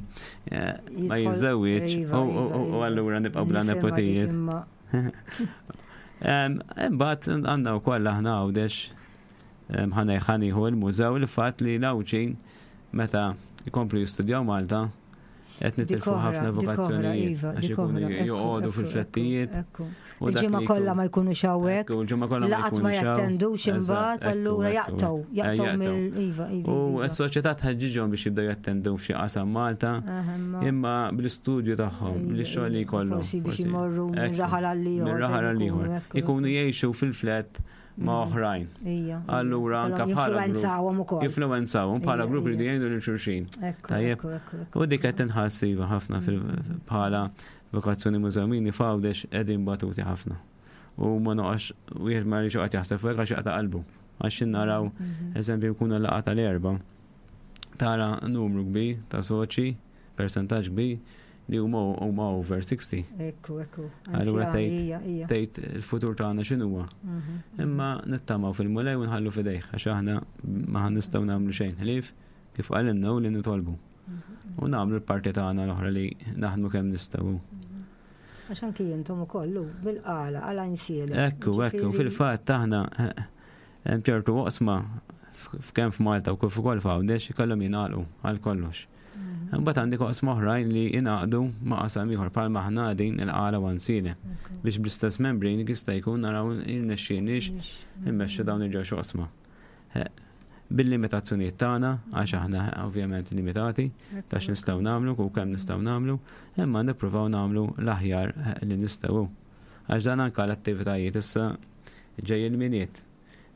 eh, ma Jidħol- jiżżewwiġ iva, u- u iva, u iva. allura nibqgħu bla Nifhimha dik nepotijiet. imma Em, Imbagħad għandna wkoll aħna Għawdex em, ħana ħanieħu il-mużew li fatt li l-Għawdxin meta jkomplu jistudjaw Malta qed dik nitilfu oħra, ħafna dik oħra, vokazzjonijiet iva, għax dik ikunu oħra, ekku, joqogħdu ekku, fil-flettijiet. ekku. u dak Il-ġimgħa li kollha jkun- ma jkunux hawnhekk, Ekku, il-ġimgħa kollha ma laqat ma jkunux hawn. jattendux Eżatt, imbagħad, ekku, allura ekku, jaqtgħu, eh, jaqtgħu jaqtgħu. mill iva, iva. U iva. s-soċjetà tħeġġiġhom biex jibdew jattendu f'xi qasam Malta, Eh, imma- imma bl-istudju tagħhom, Iva, bl-xogħol li iva, jkollhom. Forsi biex forsi. imorru minn Ekku, raħal għal ieħor. Minn raħal fejn għal ikunu, ieħor. ekku, Ikunu jgħixu fil-flet ma' Mhm. oħrajn. Ija. Allura anka bħala grupp- Influenzawhom ukoll. Influenzawhom bħala Ija, grupp li ija. jgħinu lil xulxin. Ekku, Tajjeb. ekku, ekku, ekku. U dik qed tinħass iva ħafna fil- bħala vokazzjoni mużewmini f'Għawdex qegħdin batuti ħafna. U ma noqgħodx wieħed ma rridx joqgħod jaħseb fuq għax jaqta' qalbu. Għax naraw Mhm. eżempju jkunu laqgħa tal-erba. Tara numru kbir ta' soċi, percentaġġ kbir li huma huma over sixty. Ekku, ekku. Allura Anzjani, tgħid- ija, ija. Tgħid il-futur tagħna x'inhuwa. Mhm. Imma nittamaw fil-Mulej u nħallu fidejh għax aħna ma nistgħu nagħmlu xejn ħlief kif qalilna u li nitolbu. Mhm. U nagħmlu l-parti tagħna l-oħra li naħdmu kemm nistgħu. Għax anki intom ukoll hu, bil-qala, għala insiele. Ekku, ekku, fil-fatt aħna eh, hemm ċertu oqsma f'kemm f'Malta u kif ukoll f'Għawdex ikollhom jingħalqu għal kollox. Mhm. Imbagħad għandek oqsma oħrajn li jingħaqdu ma' qasam ieħor bħalma aħna din il-Qala u Għajnsielem biex bl-istess membri jista' jkun naraw irnexxielniex immexxu dawn il-ġewx oqsma. Eh, Bil-limitazzjonijiet tagħna, għax aħna ovvjament limitati, ta' x'nistgħu nagħmlu u kemm nistgħu nagħmlu, imma nippruvaw nagħmlu l-aħjar eh, li nistgħu. Għax dan anke l-attivitajiet issa ġej il-Milied.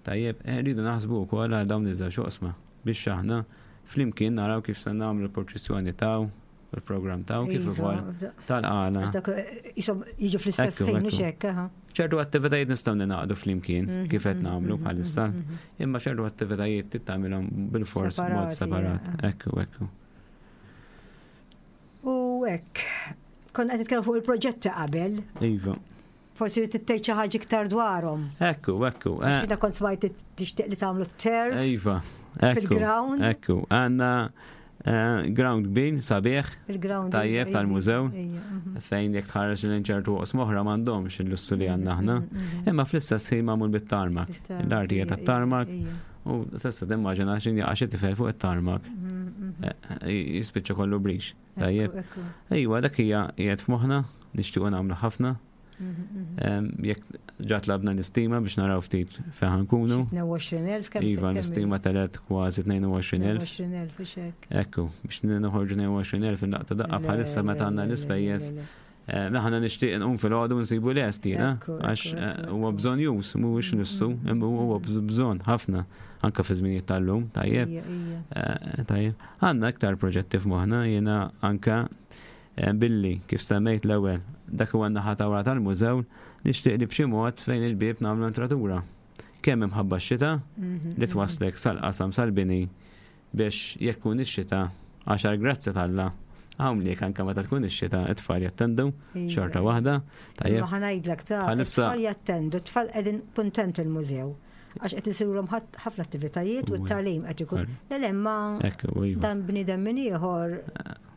Tajjeb, eh, rridu naħsbu wkoll għal dawn iż-żewġ oqsma biex aħna flimkien naraw kif se nagħmlu l-proċessjoni taw, il-programm taw, kif Iva, ukoll tal-Qala. Għax dak eh, jisom jiġu fl-istess Ekku, ħin, mhux ekku. hekk, aha. ċertu attivitajiet nistgħu ninaqdu flimkien Mhm, kif qed mhm, nagħmlu mhm, bħalissa, mhm. imma ċertu attivitajiet trid tagħmilhom bil-fors mod Separati, separat. eh. Ekku, ekku. U hekk, konna qed nitkellmu fuq il-proġetti qabel, Iva. forsi trid tgħid xi ħaġa iktar dwarhom. Ekku, ekku. eh, Għax jiena kont smajt li tixtieq li tagħmlu turf Iva. Ekku. fil-ground. Ekku. Għandna eh, ground kbir, sabiħ, Il-ground. Tajjeb iva, tal-mużew. ija, mhm. fejn jekk tħares lejn ċertu oqsma oħra m'għandhomx il-lussu li għandna aħna. Mhm, Imma fl-istess ħin magħmul bit-tarmak. Bit-tarmak, L-artija ija, tat-tarmak ija, u tista' timmaġina x'in jaqa' xi tifel fuq it-tarmak. mhm, mhm. eh, Jispiċċa kollu brix. Tajjeb. Ekku, ekku. Ejwa, dak hija qiegħed f'moħħna, nixtiequ nagħmlu ħafna. Mhm, mhm. Em, Jekk ġa tlabna l-istima biex naraw ftit fejn ħankunu. Xi tnejn u għoxrin elf kemm Iva, l-istima telet kważi tnejn u għoxrin elf. tnejn u għoxrin elf u xek. Ekku, biex noħorġu tnejn u għoxrin elf il-laqta daqqa bħalissa meta għandna l-ispejjeż. Eh, Aħna nixtieq nqum fil-għodu nsibu lest jiena, Ekku, għax ekku, eh, ekku, huwa ekku. bżonn jus, mhuwiex lussu, imma huwa bżonn ħafna anke fi żminijiet tal-lum, tajjeb. Ija, ija. Eh, Tajjeb, għandna iktar proġetti f'moħħna, jiena anka eh, billi kif semmejt l-ewwel, dak huwa n-naħa ta' wara tal-mużew, nixtieq li b'xi mod fejn il-bieb nagħmlu entratura. Kemm imħabba x-xita Mhm, li twaslek sal-qasam sal-bini biex jekk kun ix-xita għax għall-grazzja t'Alla hawn li anke meta tkun ix-xita it-tfal jattendu Iva. xorta waħda. Tajjeb, Ma ħa ngħidlek ta' Bħalissa- it-tfal jattendu, t-tfal qegħdin kuntent il-mużew. Għax qed isirulhom ħat- ħafna attivitajiet u Uwe. t-tagħlim qed ikun. Le le ma ekku, iva. dan bniedem min ieħor.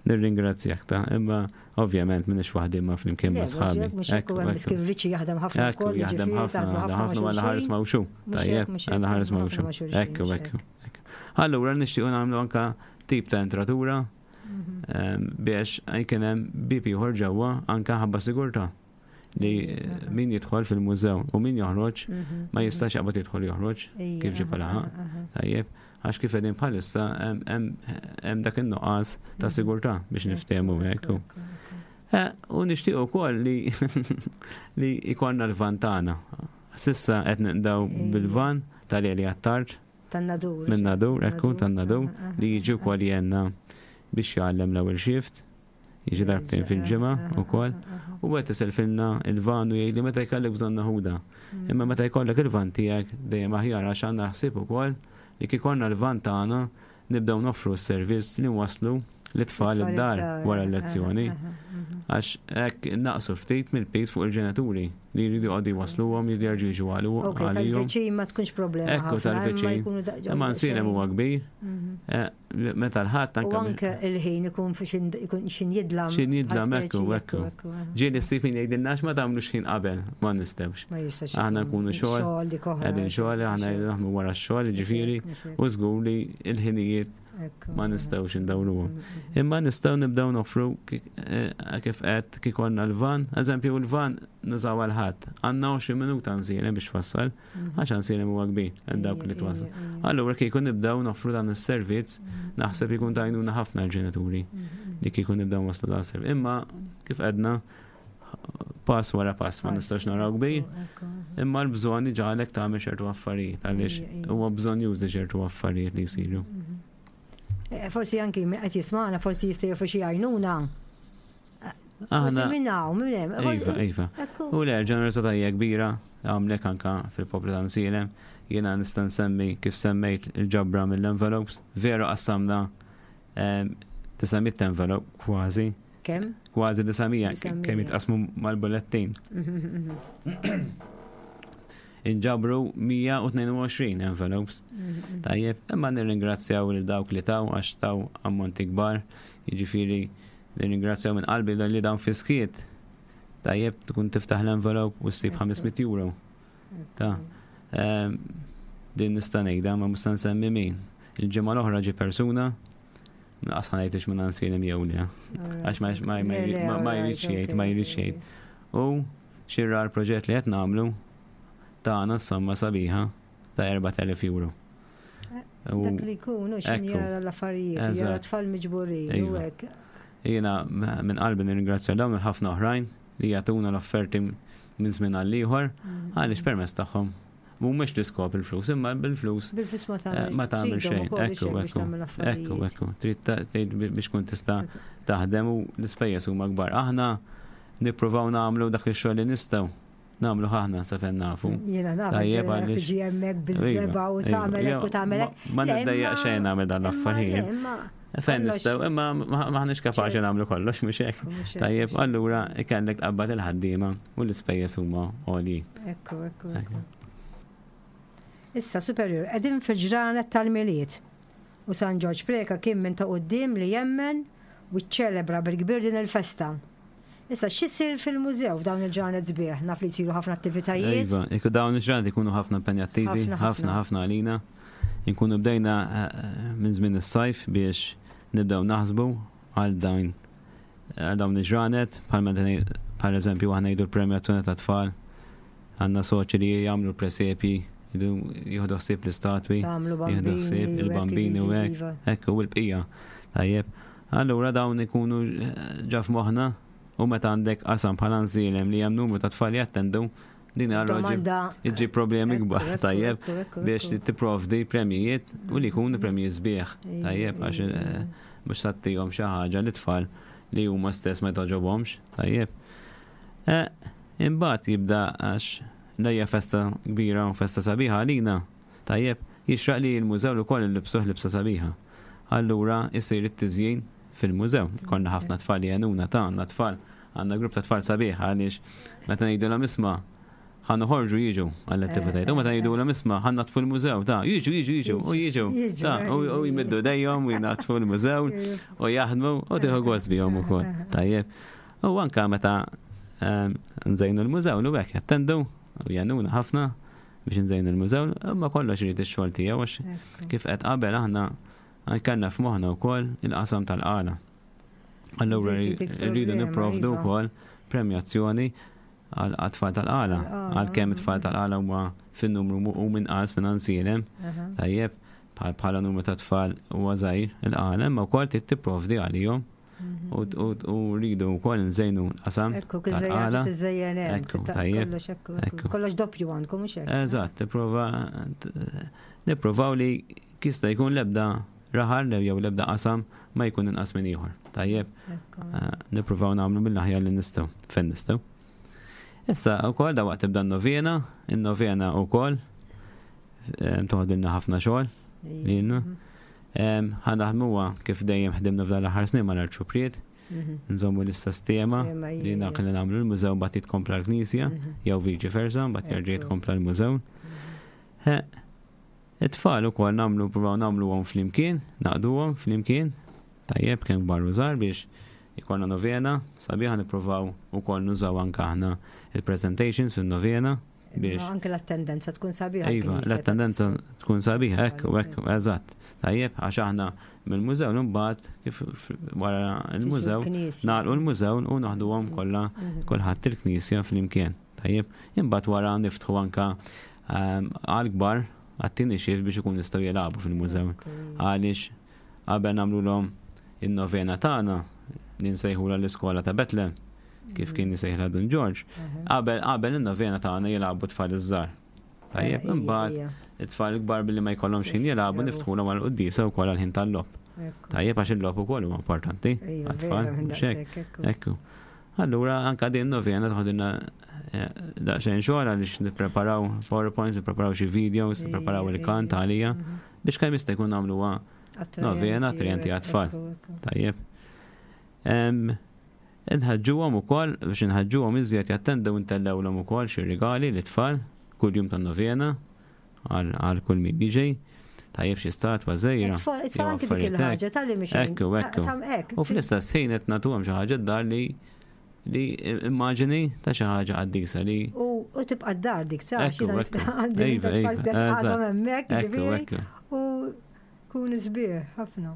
Nirringrazzjak ta' imma ovvjament minix waħdi ma flimkien Le, ma' sħabi. mhux hekk u hemm kif Riċi jaħdem ħafna Ekku, wkoll, jaħdem jiġifieri ħafna, taħdmu jaħdem ħafna ma' ħafna għalla ħares xulxin. ma' xu. Mhux Tajjeb, hekk, mhux hekk, għalla ħares ma' ħafna xu. ma' xulxin, Ekku, mhux ekku. ekku. Allura nixtiequ nagħmlu anka tip ta' entratura Mhm. em, biex jkun hemm bieb ieħor ġewwa anka ħabba sigurtà li Ija, min jidħol fil-mużew u min joħroġ Mhm, ma jistax jaqbad jidħol joħroġ Ija, kif ġib aha, laħaq. aha. Tajjeb, għax kif qegħdin bħalissa hemm- hemm hemm dak in-nuqqas ta' Mhm. sigurtà biex niftehmu Ekku, ekku. ekku, ekku. Eh, U nixtieq ukoll li li ikonna l-van tagħna. S'issa qed naqdaw Ija. bil-van tal-Eli Attard Tan-Nadur. minn Nadur, ekku Nadur, tan-Nadur, aha, aha, li jiġi wkoll jenna biex jgħallem l-ewwel shift, jiġi darbtejn fil-ġimgħa Aha, ukoll. aha, aha. U qed iselfilna il-van u jgħidli meta jkollek bżonn naħuda. Mm. Imma meta jkollek il-van tiegħek dejjem aħjar għax għandna ħsieb ukoll li kif ikollna l-van tagħna Nibdew noffru s-servizz li waslu l-tfal id-dar wara l-lezzjoni. Mhm. Għax hekk naqsu ftit mill-piż fuq il-ġenituri li jridu jqogħdu jwasluhom, jridu jerġgħu jiġu Ok, għalihom. tal-viċin ma tkunx problema. Ekku ħafna, imma tal-viċin. jkunu da- Imma Għajnsielem huwa kbir, Mhm. eh, meta l-ħadd U anke anke il-ħin ikun fi xin ikun xin jidlam. Xin jidlam, bħal ekku, speċi, ekku. ekku, aha. Ġieli ssib min jgħidilna ma tagħmlux ħin qabel, ma nistgħux. Ma jistax. Aħna ikun nkunu xogħol, Xogħol dik oħra. Qegħdin xogħol, aħna naħdmu wara x-xogħol, ġifieri, u żgur li l-ħinijiet Ekku, ma aha. nistgħux indawruhom. Mhm. Imma nistgħu nibdew noffru ki- eh, kif qed kif konna l-van, eżempju l-van nużaw għal-ħadd. Għandna għoxrin minuta Għajnsielem biex twassal, Mhm. għax Għajnsielem huwa kbir, hemm dawk li Ija, twassal. ija, ija. Allura kieku nibdew noffru dan is-servizz, Mhm. naħseb ikun tajnuna ħafna l-ġenituri Mhm. li kieku nibdew waslu dan is-servizz. Imma kif għedna pass wara pass, ma Pass, nistax naraw kbir, ekku, ekku, aha. imma l-bżonn iġagħlek tagħmel ċertu affarijiet għaliex Ija, ija. huwa bżonn jużi ċertu affarijiet li jsiru. Mhm. Eh, Forsi anki min qed jismagħna, forsi jista' joffri xi għajnuna. Forsi Aħna minn hawn, minn hemm. Iva, iva. Ekku. U le, ġenerożità hija kbira, għamlek anka fil-poplu ta' Għajnsielem. Jiena nista' nsemmi kif semmejt il-ġabra mill-envelopes, veru qassamna em, disa' mitt envelope kważi, Kemm? kważi disa' mija disa' mija. kemm jitqasmu mal-bullettin. Mhm, mhm, Inġabru mija u tnejn u għoxrin envelopes. mhm. Tajjeb, imma nirringrazzjaw lil dawk li taw għax taw ammonti kbar, jiġifieri nirringrazzjaw minn qalbi li dawn fiskiet. Tajjeb, tkun tiftaħ l-envelope u ssib Ekku. ħames mitt euro. Ta' Ehm, din nista' ngħidha, ma nista' nsemmi min. Il-ġimgħa l-oħra ġi persuna, naqas ħa ngħidx minn Għajnsielem jew le. Għax ma ma ma ma- ma jridx jgħid, ma jridx jgħid. U xirra l-proġett li qed nagħmlu tagħna somma sabiħa ta' erbat elef euro. U Dak li jkun, u xin Ekku. jara l-affarijiet, jara Eżatt. tfal miġburin, u Iva. hekk. Jiena minn qalbi nirringrazzja dawn il-ħafna oħrajn li jagħtuna l-offerti minn żmien għal ieħor Mhm. għaliex permezz tagħhom mhumiex l-iskop il-flus, imma bil-flus Bil-flus ma eh, tagħmel ma tagħmel tridhom xejn. ukoll biex Ekku, biex ekku, tagħmel ekku, affarijiet. ekku. Trid ta- trid biex kun tista' taħdem u l-ispejjeż huma kbar. Aħna nippruvaw nagħmlu dak ix-xogħol li nistgħu nagħmlu aħna sa fejn nafu. Jiena naf, Tajjeb, ġieli għaliex- tiġi hemmhekk biż-żebgħa u Iva, tagħmel iva. hekk u tagħmel hekk. Ma Le, niddejjaq imma- xejn nagħmel dan imma l-affarijiet. le, imma Fejn kollox- nistgħu, imma ma- maħniex kapaċi nagħmlu kollox mhux hekk. Mhux hekk, Tajjeb, mhux hekk. allura ikellek tqabbad il-ħaddiema u l-ispejjeż huma għoljin. Ekku, ekku, ekku. Issa, superior, qegħdin fil-ġranet tal-Milied. U San Ġorġ Preka kien minn ta' quddiem li jemmen u ċċelebra bil-kbir din il-festa. Issa, x'isir fil-mużew f'dawn il-ġranet sbieħ? Naf li jsiru ħafna attivitajiet. Iva, iku dawn il-ġranet ikunu ħafna impenjattivi, Ħafna, ħafna ħafna għalina. Inkunu bdejna eh, minn żmien is-sajf biex nibdew naħsbu għal dawn għal dawn il-ġranet, bħal bħal eżempju aħna jgħidu l-premjazzjoni ta' tfal, għandna soċi li jagħmlu presepji, jieħdu ħsieb l-istatwi, Tagħmlu jieħdu bambini. ħsieb il-bambini u hekk, iva. ekku u l-bqija. Tajjeb. Allura dawn ikunu eh, ġa f'moħħna u meta għandek qasam bħala Għajnsielem li hemm numru ta' tfal jattendu, din allura ġib Domanda. iġġib problemi Ekku, kbar, ekku, tajjeb, ekku, ekku, biex ekku. tipprovdi premjijiet u li jkunu premjijiet sbieħ, tajjeb, għax Ija, eh, mhux tagħtihom xi ħaġa li tfal li huma stess ma jogħġobhomx, tajjeb. Eh, Imbagħad jibda għax lejja festa kbira u festa sabiħa għalina, tajjeb, jixraq li l-mużew ukoll il-libsuh libsa sabiħa. Allura jsir it-tiżjin fil-mużew. Konna ħafna tfal li għenuna ta' għandna tfal, għandna grupp ta' tfal sabiħ għaliex meta ngħidulhom isma' ħa noħorġu jiġu għall-attivitajiet. U meta ngħidulhom isma' ħa naddfu l-mużew ta' jiġu jiġu jiġu u jiġu. Jiġu, Ta' u u jmiddu dejhom u jnaddfu l-mużew u jaħdmu u tieħu gost bihom ukoll. Tajjeb. U anka meta ehm, nżejnu l-mużew l hekk jattendu u jgħinuna ħafna biex nżejnu l-mużew, imma kollox irid ix-xogħol tiegħu għax Ekku. kif qed qabel aħna kellna f'moħħna wkoll il-qasam tal-qala. Allura Dik- dik rridu problema, nipprovdu iva. wkoll premjazzjoni għal tfal tal-qala. Tal-qala, Għalkemm it-tfal tal-qala huma fin-numru mu- u minqas minn Għajnsielem, Aha. tajjeb, bħal bħala numru ta' tfal huwa żgħir il-qala, imma wkoll trid tipprovdi għalihom Mhm. u u- u rridu wkoll nżejnu l-qasam Ekku, tal-qala. kizzejen, tiżejjen hemm. Ekku, titta- tajjeb. Kollox, ekku, Ekku. ekku. Kollox doppju għandkom, mhux hekk? Eżatt, tipprova nipprovaw li jista' jkun l-ebda raħal jew l-ebda qasam ma jkun inqas minn ieħor. Tajjeb, Ekku. eh, nippruvaw nagħmlu mill-aħjar li nistgħu, fejn nistgħu. Issa wkoll da waqt tibda n-novena, in-novena wkoll eh, toħodilna ħafna xogħol lilna. Mhm. Ħa naħdmuha kif dejjem ħdimna f'dan l-aħħar snin mal-Arċupriet, Mhm. nżommu l-istess tema Tema, li ija. dak li nagħmlu l-mużew mbagħad jitkompla l-knisja, Mhm. jew viċi versa, mbagħad jerġa' Ekku. jitkompla l-mużew. He, It-tfal ukoll nagħmlu provaw nagħmluhom flimkien, naqduhom flimkien, tajjeb kemm kbar u żgħar biex ikollna novena, sabiħa nippruvaw ukoll nużaw anke aħna il-presentations fin-novena biex Imma Anke l-attendenza tkun sabiħa. Iva, l-knisja. l-attendenza tkun sabiħa, ekku, ekku, eżatt. Tajjeb, għax aħna mill-mużew mbagħad kif f- wara il-mużew Tiġu l-knisja. nagħlqu l-mużew u naħduhom kollha Mhm. kulħadd il-knisja flimkien. Tajjeb, imbagħad wara niftħu anka ehm, għal-kbar għat-tieni shift biex ikun jistgħu jilagħbu fil-mużew. Ekku. Għaliex qabel nagħmluhom in-novena tagħna li nsejħula l-iskola ta' Betlem, kif kien jsejħilha Dun George, Mhm. qabel qabel in-novena tagħna jilagħbu tfal iż-żgħar. Tajjeb, Eh, ija, imbagħad ija. it-tfal kbar billi ma jkollhomx ħin jilagħbu niftħulhom għal quddiesa wkoll għal ħin tal-logħob. Ekku. Tajjeb għax il-logħob ukoll huwa importanti Ija, għat-tfal. vera minn mhux hekk? daqshekk, ekku. Ekku. Allura anka din novena toħodilna eh, daqsxejn xogħol għaliex nippreparaw PowerPoints, nippreparaw xi videos, Ija, nippreparaw il-kant ija. għalija Mhm. biex kemm jista' jkun nagħmluha Attrajenti, novena attrajenti għat-tfal. ekku, ekku. Tajjeb. Em, Inħeġġuhom ukoll biex inħeġġuhom iżjed jattendew intellewlhom ukoll xi rigali lit-tfal kull jum tan-novena għal għal kull min jiġi. Tajjeb xi statwa żgħira. It-tfal it-tfal jew anke dik affarijiet hekk. il-ħaġa tal-li mhix Ekku, ekku. Ekku. U fl-istess ħin qed nagħtuhom xi ħaġa d-dar li li immaġini ta' xi ħaġa qaddisa li U u tibqa' d-dar dik sa' Ekku, xi dan ekku. għandi minn Iva, tfal iva, stess għadhom eżatt. hemmhekk, Ekku, ġifieri, ekku. u kun sbieħ ħafna.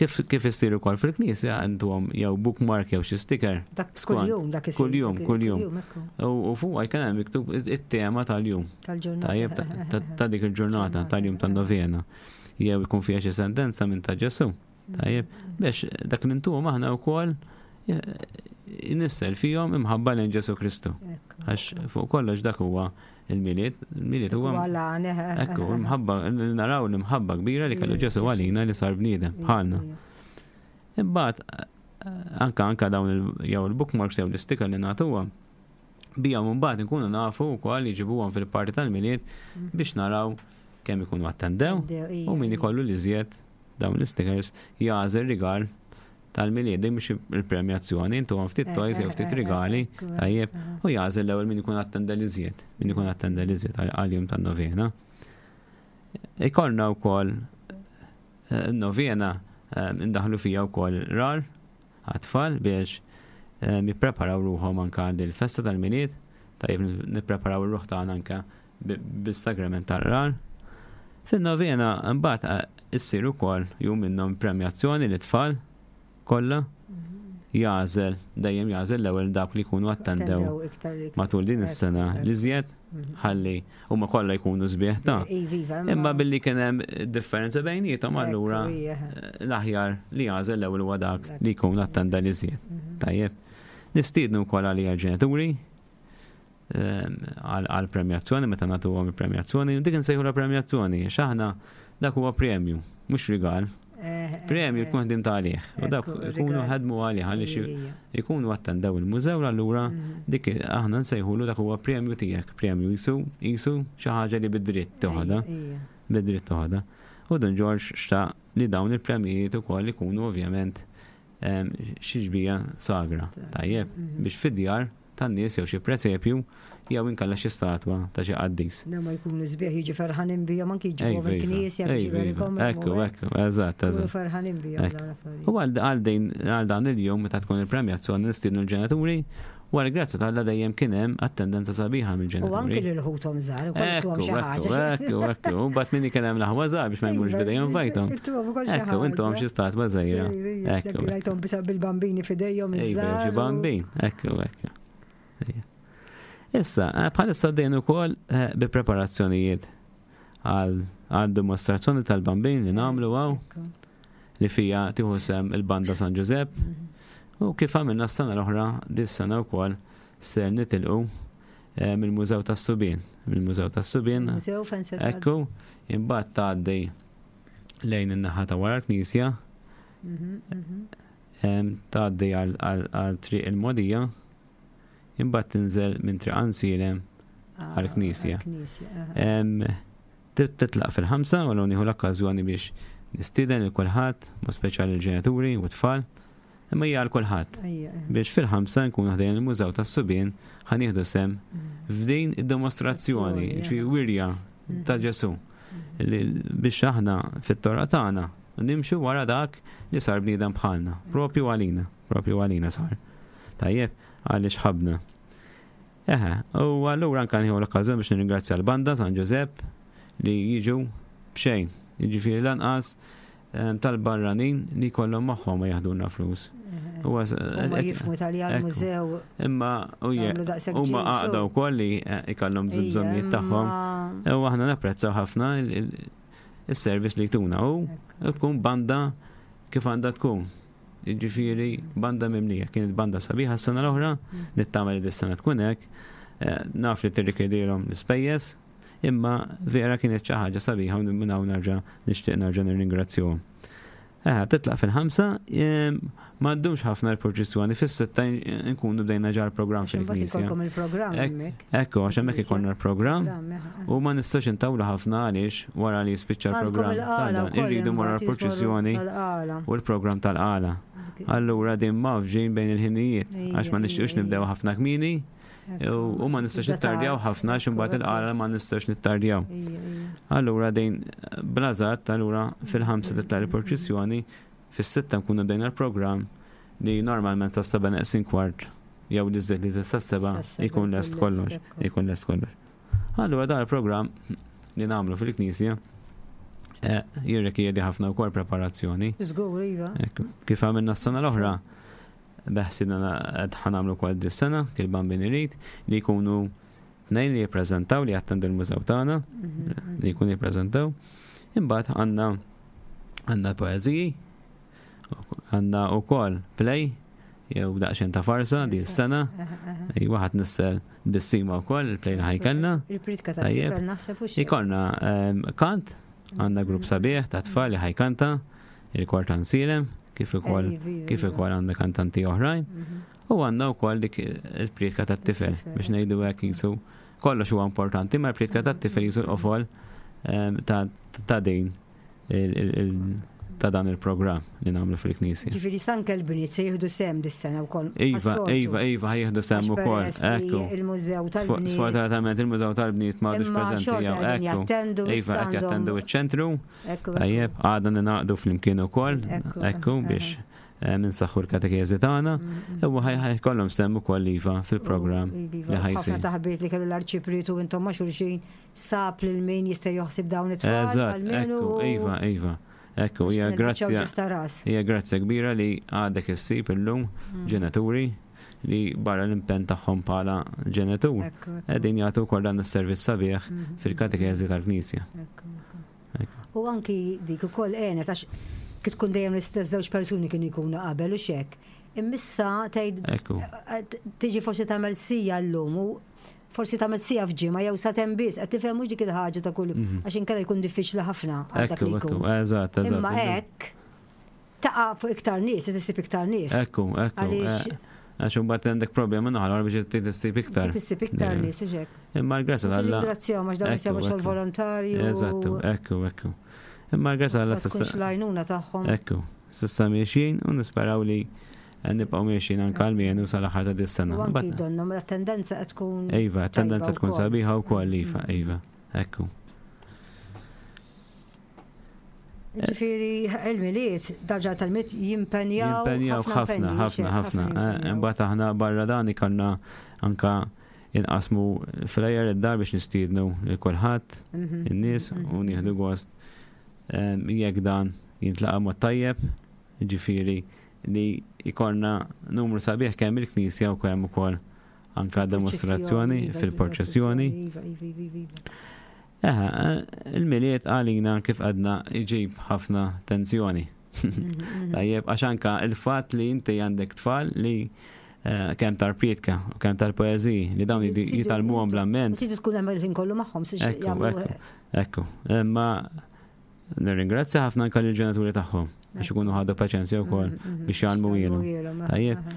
Kif kif issir ukoll fil-knisja għandhom jew bookmark jew xi sticker. Dak Skont. kuljum dak isir. Kuljum, dak- kuljum. ekku, U u fuq jkun hemm miktub it-tema tal-jum. Tal-ġurnata. Tajjeb ta- ta- ta' dik il-ġurnata tal-jum tan-novena. Jew ikun fiha xi sentenza minn ta' Ġesu. Tajjeb, biex dak li ntuhom aħna wkoll nissel fihom imħabba lejn Ġesu Kristu. Ekku. Għax fuq kollox dak huwa il-Milied, il-Milied huwa Huwa l-għan, eh, Ekku, l-mħabba, naraw l-imħabba kbira li kellu Ġesu għalina li sar bniedem bħalna. Imbagħad anka anka dawn il- jew il-bookmarks jew l-sticker li nagħtuha bijhom imbagħad nkunu nafu wkoll jiġibuhom fil-parti tal-Milied biex naraw kemm ikunu attendew Attendew, u min ikollu li żjed dawn l-stickers jagħżel rigal tal-Milied din mhux il-premjazzjoni intuhom ftit Eh, toys jew eh, ftit eh, rigali ekku, tajjeb eh. u jagħżel l-ewwel min ikun attenda li żjed min ikun attenda li żjed għal-jum tan-novena. Ikollna wkoll eh, novena eh, indaħlu fija wkoll rar għat-tfal biex eh, jippreparaw ruħhom anka lill-festa tal-Milied, tajjeb nippreparaw ir-ruħ tagħna anka bi- bis-sagrament tal-rar. Fin-novena mbagħad eh, issir ukoll jum minnhom premjazzjoni lit-tfal kollha jagħżel dejjem jagħżel l-ewwel dawk li jkunu attendew Attendew iktar iktar. matul din is-sena Ekku, li żjed Mhm. ħalli huma kollha jkunu sbieħ ta' Iva, iva, Imma billi kien hemm differenza bejniethom Ekku, allura ija. l-aħjar li jagħżel l-ewwel huwa dak Dak. li jkun attenda li żjed. Mhm. Tajjeb. Nistiednu wkoll għalija l-ġenituri ehm, għal għal premjazzjoni meta nagħtuhom il-premjazzjoni, dik insejħu la premjazzjoni, għax aħna dak huwa premju, mhux rigal. Eh, eh, Premju eh. tkun ħdimt għalih. U dak Ekku, ikunu rigal. ħadmu għalih għaliex Ija, ija. ikunu attendew il-mużew allura Mhm. dik aħna nsejħulu dak huwa premju tiegħek, premju jisu jisu xi ħaġa li bid-dritt toħodha, Ija, ija. bid-dritt toħodha. U Dun George xtaq li dawn il-premjijiet ukoll ikunu ovvjament em, xi xbieha sagra. Tajjeb, Mhm. biex fid-djar tan-nies jew xi presepju jew inkella xi statwa ta' xi qaddis. Na ma jkunu sbieħ jiġu ferħanin bihom anki jiġu Ejva, iva. il-knisja biex Ejva, iva. jberikom. Ekku, ekku, eżatt, Jkunu eżatt. ferħanin bihom Ekku. dawn l-affarijiet. U għal għal din għal dan il-jum meta tkun il-premjazzjoni nistiednu l-ġenituri, wara grazzi t'Alla dejjem kien hemm attendenza sabiħa U anki mill-ġenituri. lil ħuthom żgħar, ukoll Ekku, tuhom xi ekku, ħaġa. ekku, ekku. U bat minni kien hemm l-aħwa żgħar biex ma jmurx bidejhom vojta. Intuhom ukoll xi Ekku, intuhom ħaġa. xi statwa żgħira. Ekku, Ekku, ekku. rajthom bisa bil-bambini f'idejhom Ejva, iż-żgħar. xi u- bambin. Ekku, ekku. Ejja. Issa, eh, bħalissa dejn ukoll eh, bi preparazzjonijiet għal għal dimostrazzjoni tal-bambin li nagħmlu hawn Ekku. li fija tieħu sem il-banda San Giuseppe. U kif għamilna s-sena l-oħra, dis-sena wkoll ser nitilqu eh, mill-Mużew tas-Subien. Mill-Mużew tas-Subien, Mużew fejn se tgħaddi. ekku, imbagħad tgħaddi lejn in-naħa ta' wara l-Knisja, Mhm, mhm. em, tgħaddi għal- għal għal triq il-Modija, imbagħad tinżel minn triq Għajnsielem Ah, Għall-knisja. Għall-knisja, aha. Em, tit- Titlaq fil-ħamsa u l nieħu l-okkażjoni biex Nistieden lil kulħadd, ma speċjali l-ġenituri u t-tfal, imma hija għal kulħadd. Biex fil-ħamsa nkunu ħdejn il-Mużew tas-Subien ħa nieħdu sehem f'din id-dimostrazzjoni, ġifieri wirja ta' Ġesù. Biex aħna fit-torqa tagħna nimxu wara dak li sar bniedem bħalna, propju għalina, propju għalina sar. Tajjeb, għaliex ħabna. Eħe, u allura anka nieħu l-okkażjoni biex nirringrazzja l-banda San Ġużepp li jiġu b'xejn, jiġifieri lanqas tal-barranin li kollhom magħhom ma jaħdulna flus. Huwa jifhmu tal mużew. Imma huma għaqda wkoll li ikollhom bżonnijiet tagħhom. U aħna napprezzaw ħafna is-service li jtuna u tkun banda kif għandha tkun. Jiġifieri banda mimlija, kienet banda sabiħa s-sena l-oħra, nittama li dis-sena tkun hekk, naf li tirrikjedilhom l-ispejjeż, imma vera kienet xi ħaġa sabiħa u minn hawn nerġa' nixtieq nerġa' nirringrazzjahom. Eħe, titlaq fil-ħamsa, ma ddumx ħafna l-proċessjoni, fis-sitta nkunu bdejna ġa l-programm fil-knisja. Ekku, għax hemmhekk ikollna l-programm u ma nistax intawlu ħafna għaliex wara li jispiċċa l-programm. Irridu wara l-proċessjoni u l-programm tal-qala. Allura din mafġin bejn il-ħinijiet, għax ma nixtiequx nibdew ħafna kmieni u ma nistax nittardjaw ħafna għax imbagħad il-qala ma nistax nittardjaw. Allura din blażat, allura fil-ħamsa titla' il-proċessjoni, fis-sitta nkunu bdejna l-programm li normalment sa seba' neqsin kwart jew li żied li sa seba' jkun lest kollox, jkun lest kollox. Allura dan il-programm li nagħmlu fil-knisja jirrikjedi ħafna wkoll preparazzjoni. Żgur, iva. Kif għamilna s-sena l-oħra, beħsibna qed ħanamlu wkoll dis-sena, kif Bambin irid, li jkunu tnejn li jippreżentaw li jattendu l-mużew tagħna, li jkunu jippreżentaw. Imbagħad għandna għandna poeżiji, għandna wkoll play jew daqsxejn ta' farsa di s-sena. Iva ħadd nissel bissima wkoll il-play li ħajkellna. Il-pritka tat-tifel naħseb u xi. Ikollna kant, għandna grupp sabiħ ta' tfal li ħajkanta, il-kor ta' Nsilem, kif ukoll kif ukoll għandna kantanti oħrajn. U għandna wkoll dik il-pritka tat-tifel biex ngħidu hekk jisu kollox huwa importanti, ma l-pritka tat-tifel jisu l-qofol ta' din ta' dan il-programm li nagħmlu fil-knisja. Ġifieri sanke l-bniet se jieħdu sehem dis-sena wkoll. Iva, iva, iva, jieħdu sehem ukoll. Ekku. Il-mużew tal-bniet. Sfortunatament il-mużew tal-bniet m'għadux preżenti jew ekku. Iva, qed jattendu iċ-ċentru. Tajjeb, għadna ninaqdu flimkien ukoll, ekku biex minsaħħu l-katekeżi tagħna, u ħajkollhom sehem ukoll iva fil-programm li ħajsir. Ħafna taħbit li kellu l-arċipriet u intom ma' xulxin sab lil min jista' joħsib dawn it-tfal. Eżatt, ekku, iva, iva. Ekku, hija grazzja hija grazzja kbira li għadek issib illum ġenituri li barra l-impenn tagħhom bħala ġenitur qegħdin jagħtu wkoll dan is-servizz sabiħ fil-katekeżi tal-Knisja. U anki dik ukoll għenet għax kif tkun dejjem l-istess żewġ persuni kienu jkunu qabel u xek. Immissa tgħid tiġi forsi tagħmel sija llum u forsi tagħmel sija f'ġimgħa jew satem biss, qed tifhem mhux dik il-ħaġa ta' kull għax inkella jkun diffiċli ħafna għal dak li jkun. Eżatt, eżatt. Imma hekk taqa' fuq iktar nies, se tissib iktar nies. Ekku, ekku. Għax imbagħad għandek problema naħra biex tissib iktar. Tissib iktar nies u xek. Imma l-grazzja tal-Alla. Ringrazzjahom għax dawn jsibu xogħol volontarju. Eżattu, ekku, ekku. Imma l-grazzja tal-Alla s'issa. L-għajnuna tagħhom. Ekku, s'issa miexjin u nisperaw li nibqgħu miexjin anke għall-mienu sal-aħħar ta' dis-sena. U anki donhom t-tendenza qed tkun. Iva, t-tendenza tkun sabiħa wkoll iva, iva. Ekku. Ġifieri il-Milied, darġa tal-Milied jimpenjaw. Jimpenjaw ħafna, ħafna, ħafna. Imbagħad aħna barra dan ikollna anka inqasmu flajer id-dar biex nistiednu lil kulħadd, in-nies u nieħdu gost jekk dan jintlaqa' mod tajjeb, ġifieri li jkollna numru sabiħ kemm il-knisja u kemm ukoll anka demostrazzjoni fil-proċessjoni. Eħe, il-Milied għalina kif għadna iġib ħafna tensjoni. Tajjeb, għax anka il-fatt li inti għandek tfal li kemm tal-prietka u kemm tal-poeżiji li dawn jitalmuhom bl-amment. Tridu tkun hemm il-ħin kollu magħhom. Ekku, ekku. Imma nirringrazzja ħafna anka lill-ġenituri tagħhom biex ikunu ħadu paċenzja wkoll biex jgħallmu ilhom. Tajjeb,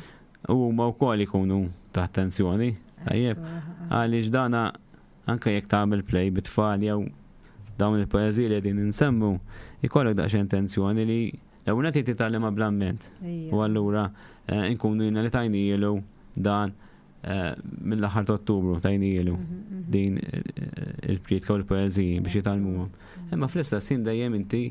u huma wkoll ikunu taħt tensjoni. Tajjeb, għaliex dana anke jekk tagħmel play bit-tfal jew Dawn il-poeżiji li qegħdin insemmu jkollok daqsxejn tensjoni li l-ewwel nett titgħallimha bl-amment. U allura eh, nkunu jina li tajnielu dan eh, mill-aħħar ta' Ottubru tajnielu Mhm, mhm. din eh, il-priedka u l-poeżiji biex jitgħallmuhom. Imma fl-istess ħin dejjem inti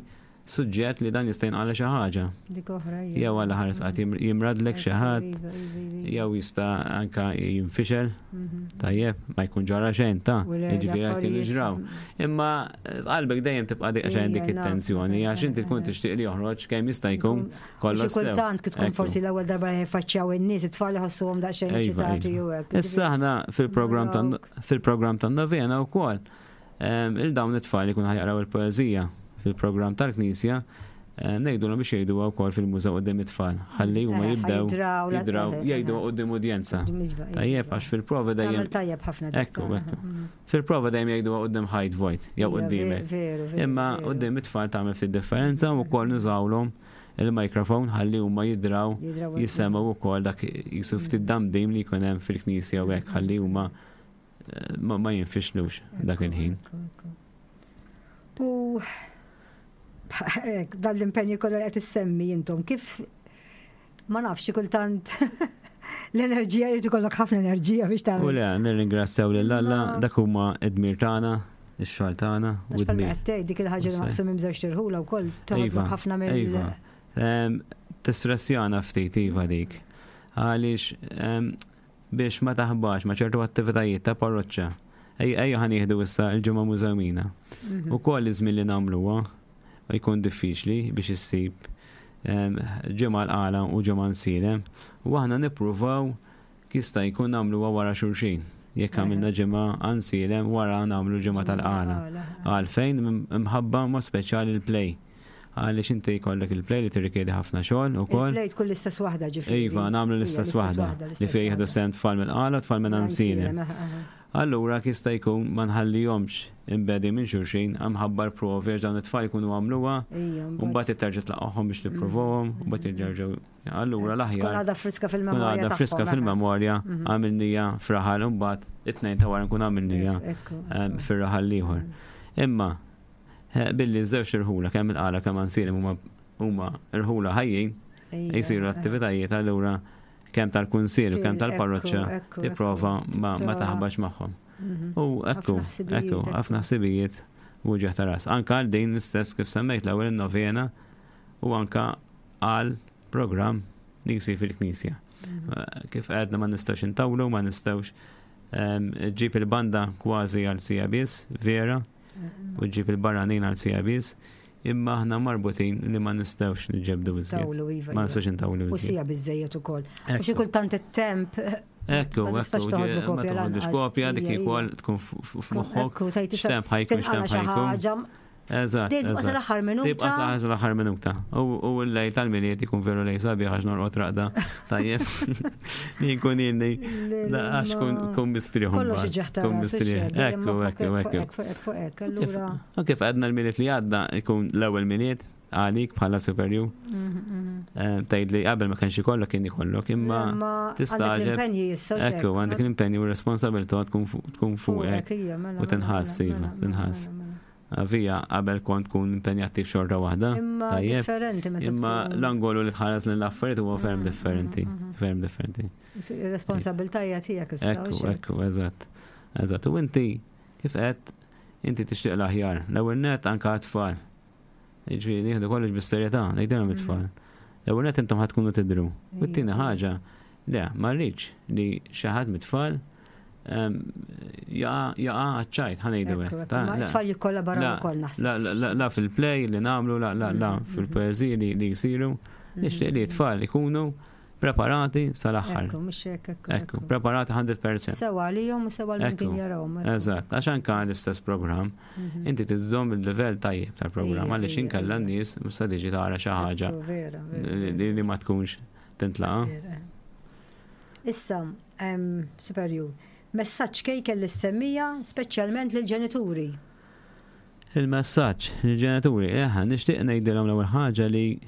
suġġett li dan jista' jinqala xi ħaġa. Dik oħra. Jew għal ħares qatt jimradlek xi ħadd, Iva, iva, iva, jew jista' anka jinfixel, Mhm. tajjeb, ma jkun ġara xejn ta' U le, jiġifieri hekk kienu l-affarijiet- ġraw. Imma eh, qalbek dejjem tibqa' dik xejn dik Ija, naf, it-tensjoni għax inti tkun eh, eh. tixtieq li joħroġ kemm jista' jkun kollox Xi sew. kultant kif tkun Ekku. forsi l-ewwel darba li jfaċċjaw in-nies, it-tfal iħossuhom daqsxejn Iva, eċitati iva. u hekk. Issa aħna fil-programm tan fil-programm tan-novena wkoll em, il-dawn it-tfal jkunu ħa jaqraw il-poeżija fil-programm tal-Knisja em, ngħidulhom biex jgħiduha wkoll fil-mużew quddiem it-tfal. Ħalli huma Eh, jibdew ħa jidraw, la- jidraw eh, jgħidu eh. quddiem udjenza. Iva, iva, Tajjeb iva. għax fil-prova dejjem Tagħmel tajjeb ħafna dik Ekku, ta' ekku. mhm. fil-prova dejjem jgħiduha quddiem ħajt vojt jew Ija, quddiemek. Veru, veru. Imma veru. quddiem it-tfal tagħmel ftit differenza u wkoll nużawlhom il-mikrofon ħalli huma jidraw Jidraw jisemgħu wkoll dak jisu ftit damdim li jkun hemm fil-knisja u hekk ħalli huma eh, ma ma jinfixlux dak Ekku, il-ħin. ekku, ekku. U dan l-impenju kollu li qed issemmi intom kif ma nafx xi kultant l-enerġija jrid ikollok ħafna enerġija biex U tagħmel. le, nirringrazzjaw lil Alla Ma- dak huma id-dmir tagħna, ix-xogħol tagħna u Għax bħalma d-dmir. qed tgħid dik il-ħaġa li Issa. maqsum żewġ tirħula wkoll toħodlok ħafna mill Iva. Em, Tistressjana ftit iva dik. Għaliex em, biex ma taħbax ma ċertu attivitajiet ta' parroċċa. Ejja ejja ħa nieħdu issa l-ġimgħa mużewmina. Mhm. U koll iż-żmien li nagħmluha jkun diffiċli biex issib em, ġimgħa l-Qala u ġimgħa Għajnsielem. U aħna nippruvaw jista' jkun nagħmluha wara xulxin. Jekk għamilna ġimgħa Għajnsielem wara nagħmlu ġimgħa tal-Qala. Għalfejn imħabba mod speċjali l-play. Għaliex inti jkollok il-play li tirrikjedi ħafna xogħol ukoll. Il-play tkun l-istess waħda ġifieri. Iva, nagħmlu l-istess waħda li fejn jieħdu sehem tfal mill-Qala u tfal minn Għajnsielem. Allura jista' jkun ma nħallihomx imbedi minn xulxin imħabba l-provi għax dawn it-tfal jkunu għamluha u mbagħad terġa' tlaqgħuhom biex tipprovahom u mbagħad jerġgħu allura Tkun l-aħjar għadha friska tkun fil-memorja. għadha friska tagħhom, fil-memorja Mhm. għamilnija f'raħal u mbagħad it-tnejn ta' wara nkun għamilnija Ekku, em, ekku. fir-raħal l-ieħor. Imma eh, billi żewġ irħula kemm il-Qala kemm Għajnsielem huma huma irħula ħajjin Ija, jsiru eh. attivitajiet allura kemm tal-kunsill u kemm Sil, tal-parroċċa ekku, ekku, tipprova ekku. ma ma Ta' taħbax magħhom. Mhm. U ekku, Ħafna ħsibijiet, ekku, ekku. ħafna ħsibijiet u uġigħ ta' ras. Anka għal din l-istess kif semmejt l-ewwel in-novena u anka għal programm li jsir fil-knisja. Mhm. Eh, Kif għedna ma nistgħux intawlu, ma nistgħux em, ġib il-banda kważi għal siegħa biss, vera, Mhm. u ġib il-barranin għal siegħa biss, imma aħna marbutin li ma nistgħux niġġebdu iżjed. Tawlu, iva. Ma iva. nistgħux intawlu U iżjed. siegħa biżżejjed ukoll. U xi Ekku. kultant it-temp. Ekku, ma tistax ekku, toħodlu ma kopja toħodlux lanqas. kopja, dik Ija, ukoll ija. tkun f- f- f'moħħok. Ekku, tgħid tista' X'temp ħa jkun, tinqala x'temp xi ħa jkun. ħaġa. Eżatt. Dejjem tibqa' eżatt. sal-aħħar minuta. Tibqa' sal-aħħar minuta. U u l-lejl tal-Milied ikun veru lejl sabiħ għax norqod raqda. Tajjeb. Li nkun ilni. Għax kun kun mistrieħ. Kollox mbagħad. iġeħ ta' Kun ras, mistrieħ. ix-xejn, dejjem Ekku, moħħok ekku, ekku. Fuq hekk, fuq hekk, allura. U kif għedna l-Milied li għadda ikun l-ewwel Milied għalik bħala superjur. Mhm, Eh, Tgħid li qabel ma kienx ikollok kien ikollok imma Imma għandek tistagħġeb. l-impenji issa. u Ekku, x'hekk. għandek l-impenju u r-responsabilità tkun fu- tkun fuqek. ija, mela, u tinħass, mela, iva, mela, tinħass. mela, mela. Vija, qabel kont tkun impenjattiv xorta waħda. Imma Tajjeb. differenti meta Imma tkun- l-angolu li tħares l-affarijiet huwa ferm Mm, differenti. mm, mm. Ferm differenti. Ir-responsabilità hija tiegħek issa. u Ekku, x'hekk. ekku, eżatt. Eżatt. U inti, kif qed, inti tixtieq l-aħjar. L-ewwel net anke għat-tfal. Jiġifieri nieħdu kollox bis-serjetà, ngħidilhom it-tfal. L-ewwel net intom ħa tkunu tidru. U t-tieni Ija. ħaġa, le, ma rridx li xi ħadd mit-tfal em, jaqa' jaqa' għaċ-ċajt, ħa ngħidu Ekku, hekk. ekku, Ta' Ma le. t-tfal jikkollaboraw La, ukoll naħseb. La, la, la, la fil-play li nagħmlu, la, la, la Mhm, fil-poeziji li, li jisiru. Nixtieq li t-tfal ikunu preparati sal-aħħar. Ekku, mhux hekk, ekku. Ekku, preparati mija fil-mija. Sewa għalihom u sewa għal min kien Ekku, jarahom. ekku. Eżatt, għax anka l-istess programm, Mhm. inti tiżżomm il-livell tajjeb tal-programm Ija, għaliex ija, inkella ija. n-nies mista tiġi tara xi ħaġa Ekku, vera, vera. li li ma tkunx tintlaqa. Vera. Issa, em, superjur, messaġġ kejkel lis-semmija, speċjalment lill-ġenituri. Il-messaġġ lill-ġenituri, eħa, nixtieq ngħidilhom l-ewwel ħaġa li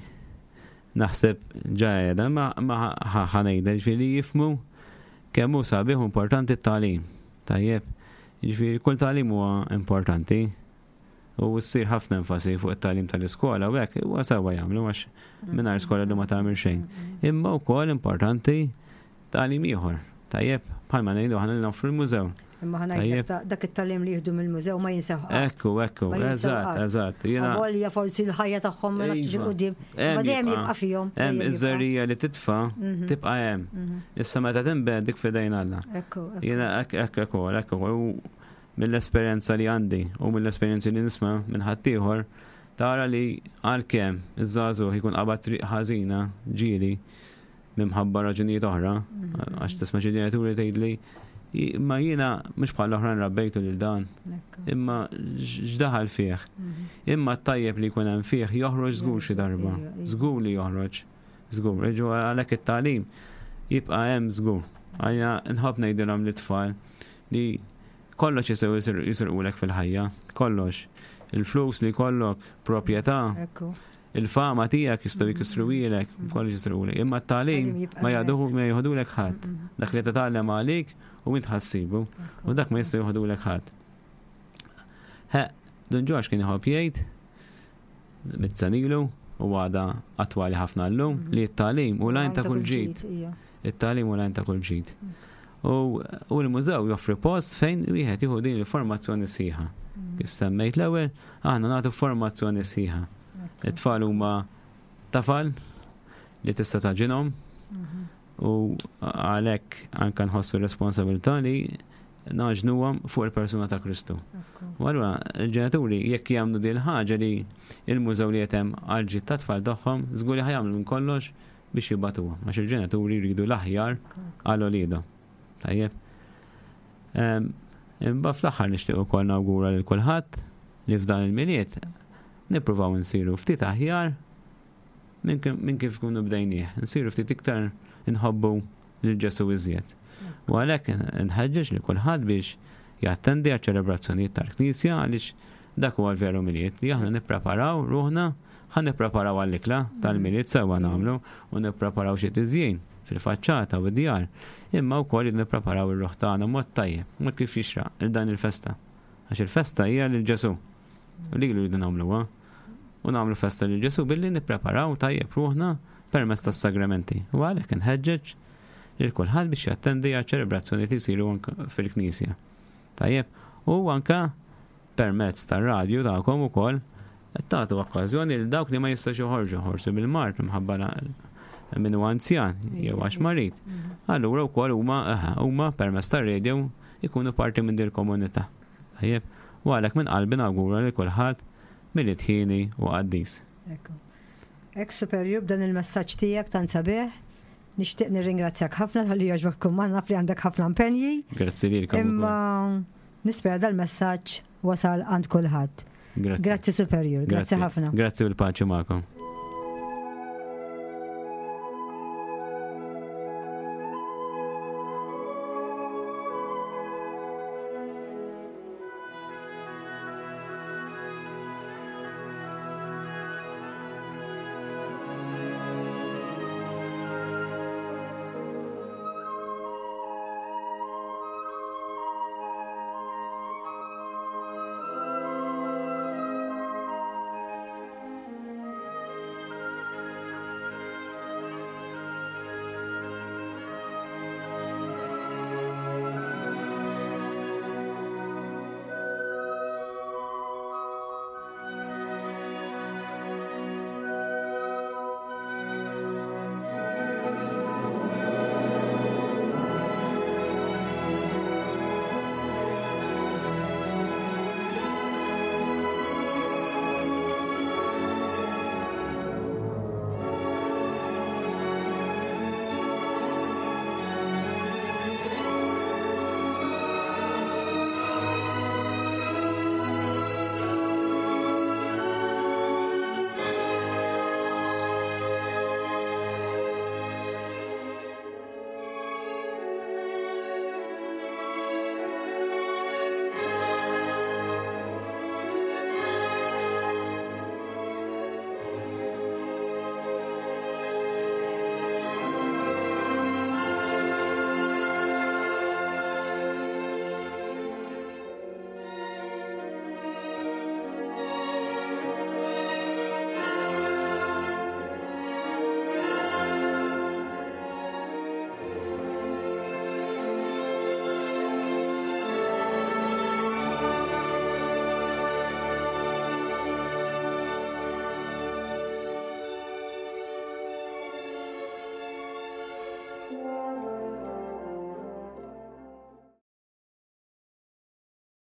naħseb ġajeda ma ma ħa ngħidha ġifieri li jifhmu kemm hu sabiħ u importanti t-tagħlim. Tajjeb, ġifieri kull tagħlim huwa importanti. U ssir ħafna enfasi fuq it-tagħlim tal-iskola u hekk huwa sewwa jagħmlu għax mingħajr skola li ma tagħmel xejn. Imma wkoll importanti tagħlim ieħor. Tajjeb, bħalma ngħidu aħna li noffru l-mużew. Imma ħa ngħidlek dak it-tagħlim li jieħdu mill-mużew ma jinsew. Ekku, ekku, eżatt, eżatt. Avolja forsi l-ħajja tagħhom ma nafx quddiem. Ma dejjem jibqa' fihom. Hemm iż-żerriegħa li titfa' tibqa' hemm. Issa meta tinbet dik f'idejn Alla. Ekku. Jiena hekk hekk ukoll, hekk ukoll. Mill-esperjenza li għandi u mill-esperjenzi li nisma' minn ħaddieħor, tara li għalkemm iż-żagħżugħ jkun qabad triq ħażina ġieli minħabba raġunijiet oħra, għax tisma' xi ġenituri tgħidli imma jiena mhux bħal oħrajn rabbejtu lil dan, imma x'daħal fih. Imma t-tajjeb li jkun hemm fih joħroġ żgur xi darba, żgur li joħroġ, żgur. Iġu għalhekk it-tagħlim jibqa' hemm żgur. Għalija nħobb ngħidilhom lit-tfal li kollox jistgħu jisirqulek fil-ħajja, kollox. Il-flus li kollok, proprjetà, il-fama tiegħek jistgħu jkissruhielek, kollox jisirqulek. Imma t-tagħlim ma jagħduhu ma jieħdulek ħadd. Dak li titgħallem għalik u int ħassibu, u dak ma jistgħu jieħdulek ħadd. Dun Ġorġ kien iħobb jgħid mitt sena ilu u għada attwali ħafna llum li t-tagħlim hu l-għajn ta' kull ġid. It-tagħlim hu l-għajn ta' kull ġid. U l-mużew joffri post fejn wieħed jieħu din il-formazzjoni sħiħa. Kif semmejt l-ewwel, aħna nagħtu formazzjoni sħiħa. It-tfal huma tafal li tista' tagħġinhom u għalhekk anke nħossu responsabilità li nagħġnuhom fuq il-persuna ta' Kristu. U allura l-ġenituri jekk jagħmlu din il-ħaġa li il-mużew li qed hemm għall-ġid tat-tfal tagħhom, żgur li ħa jagħmlu minn kollox biex jibagħtuhom, għax il-ġenituri jridu l-aħjar għal uliedhom. Tajjeb. Imma fl-aħħar nixtieq ukoll nawgura lil kulħadd li f'dan il-Milied nippruvaw nsiru ftit aħjar minn kif kunu bdejnieh, nsiru ftit iktar inħobbu lil Ġesù iżjed. U għalhekk nħeġġeġ li kulħadd biex jattendi għaċ-ċelebrazzjonijiet tal-Knisja għaliex dak huwa l-veru Milied li aħna nippreparaw ruħna, ħa nippreparaw għall-ikla tal-Milied sewwa nagħmlu u nippreparaw xi tiżjin fil-faċċata u d-djar, imma wkoll nippreparaw ir-ruħ tagħna mod tajjeb, mod kif jixraq il dan il-festa. Għax il-festa hija lil Ġesù. U lilu rridu nagħmluha. U nagħmlu festa lil Ġesù billi nippreparaw tajjeb ruħna permezz tas-sagramenti. U għalhekk inħeġġeġ lil kulħadd biex jattendi għal ċelebrazzjoni li jsiru fil-Knisja. Tajjeb, u anka permezz tar-radju tagħkom ukoll qed tagħtu okkażjoni lil dawk li ma jistgħux joħorġu ħorsu bil-mard minħabba min huwa anzjan jew għax marid. Allura wkoll huma huma permezz tar-radio ikunu parti minn din il-komunità. Tajjeb, u għalhekk minn qalbi nawgura lil kulħadd Milied ħieni u qaddis. Ekku. Ek superjur b'dan il-messaġġ tiegħek tant sabiħ. Nixtieq nirringrazzjak ħafna talli jogħġbok tkun magħna, naf li għandek ħafna impenji. Grazzi lilkom. Imma nispera dal-messaġġ wasal għand kulħadd. Grazzi. Grazzi superjur, grazzi ħafna. Grazzi u l-paċi magħkom.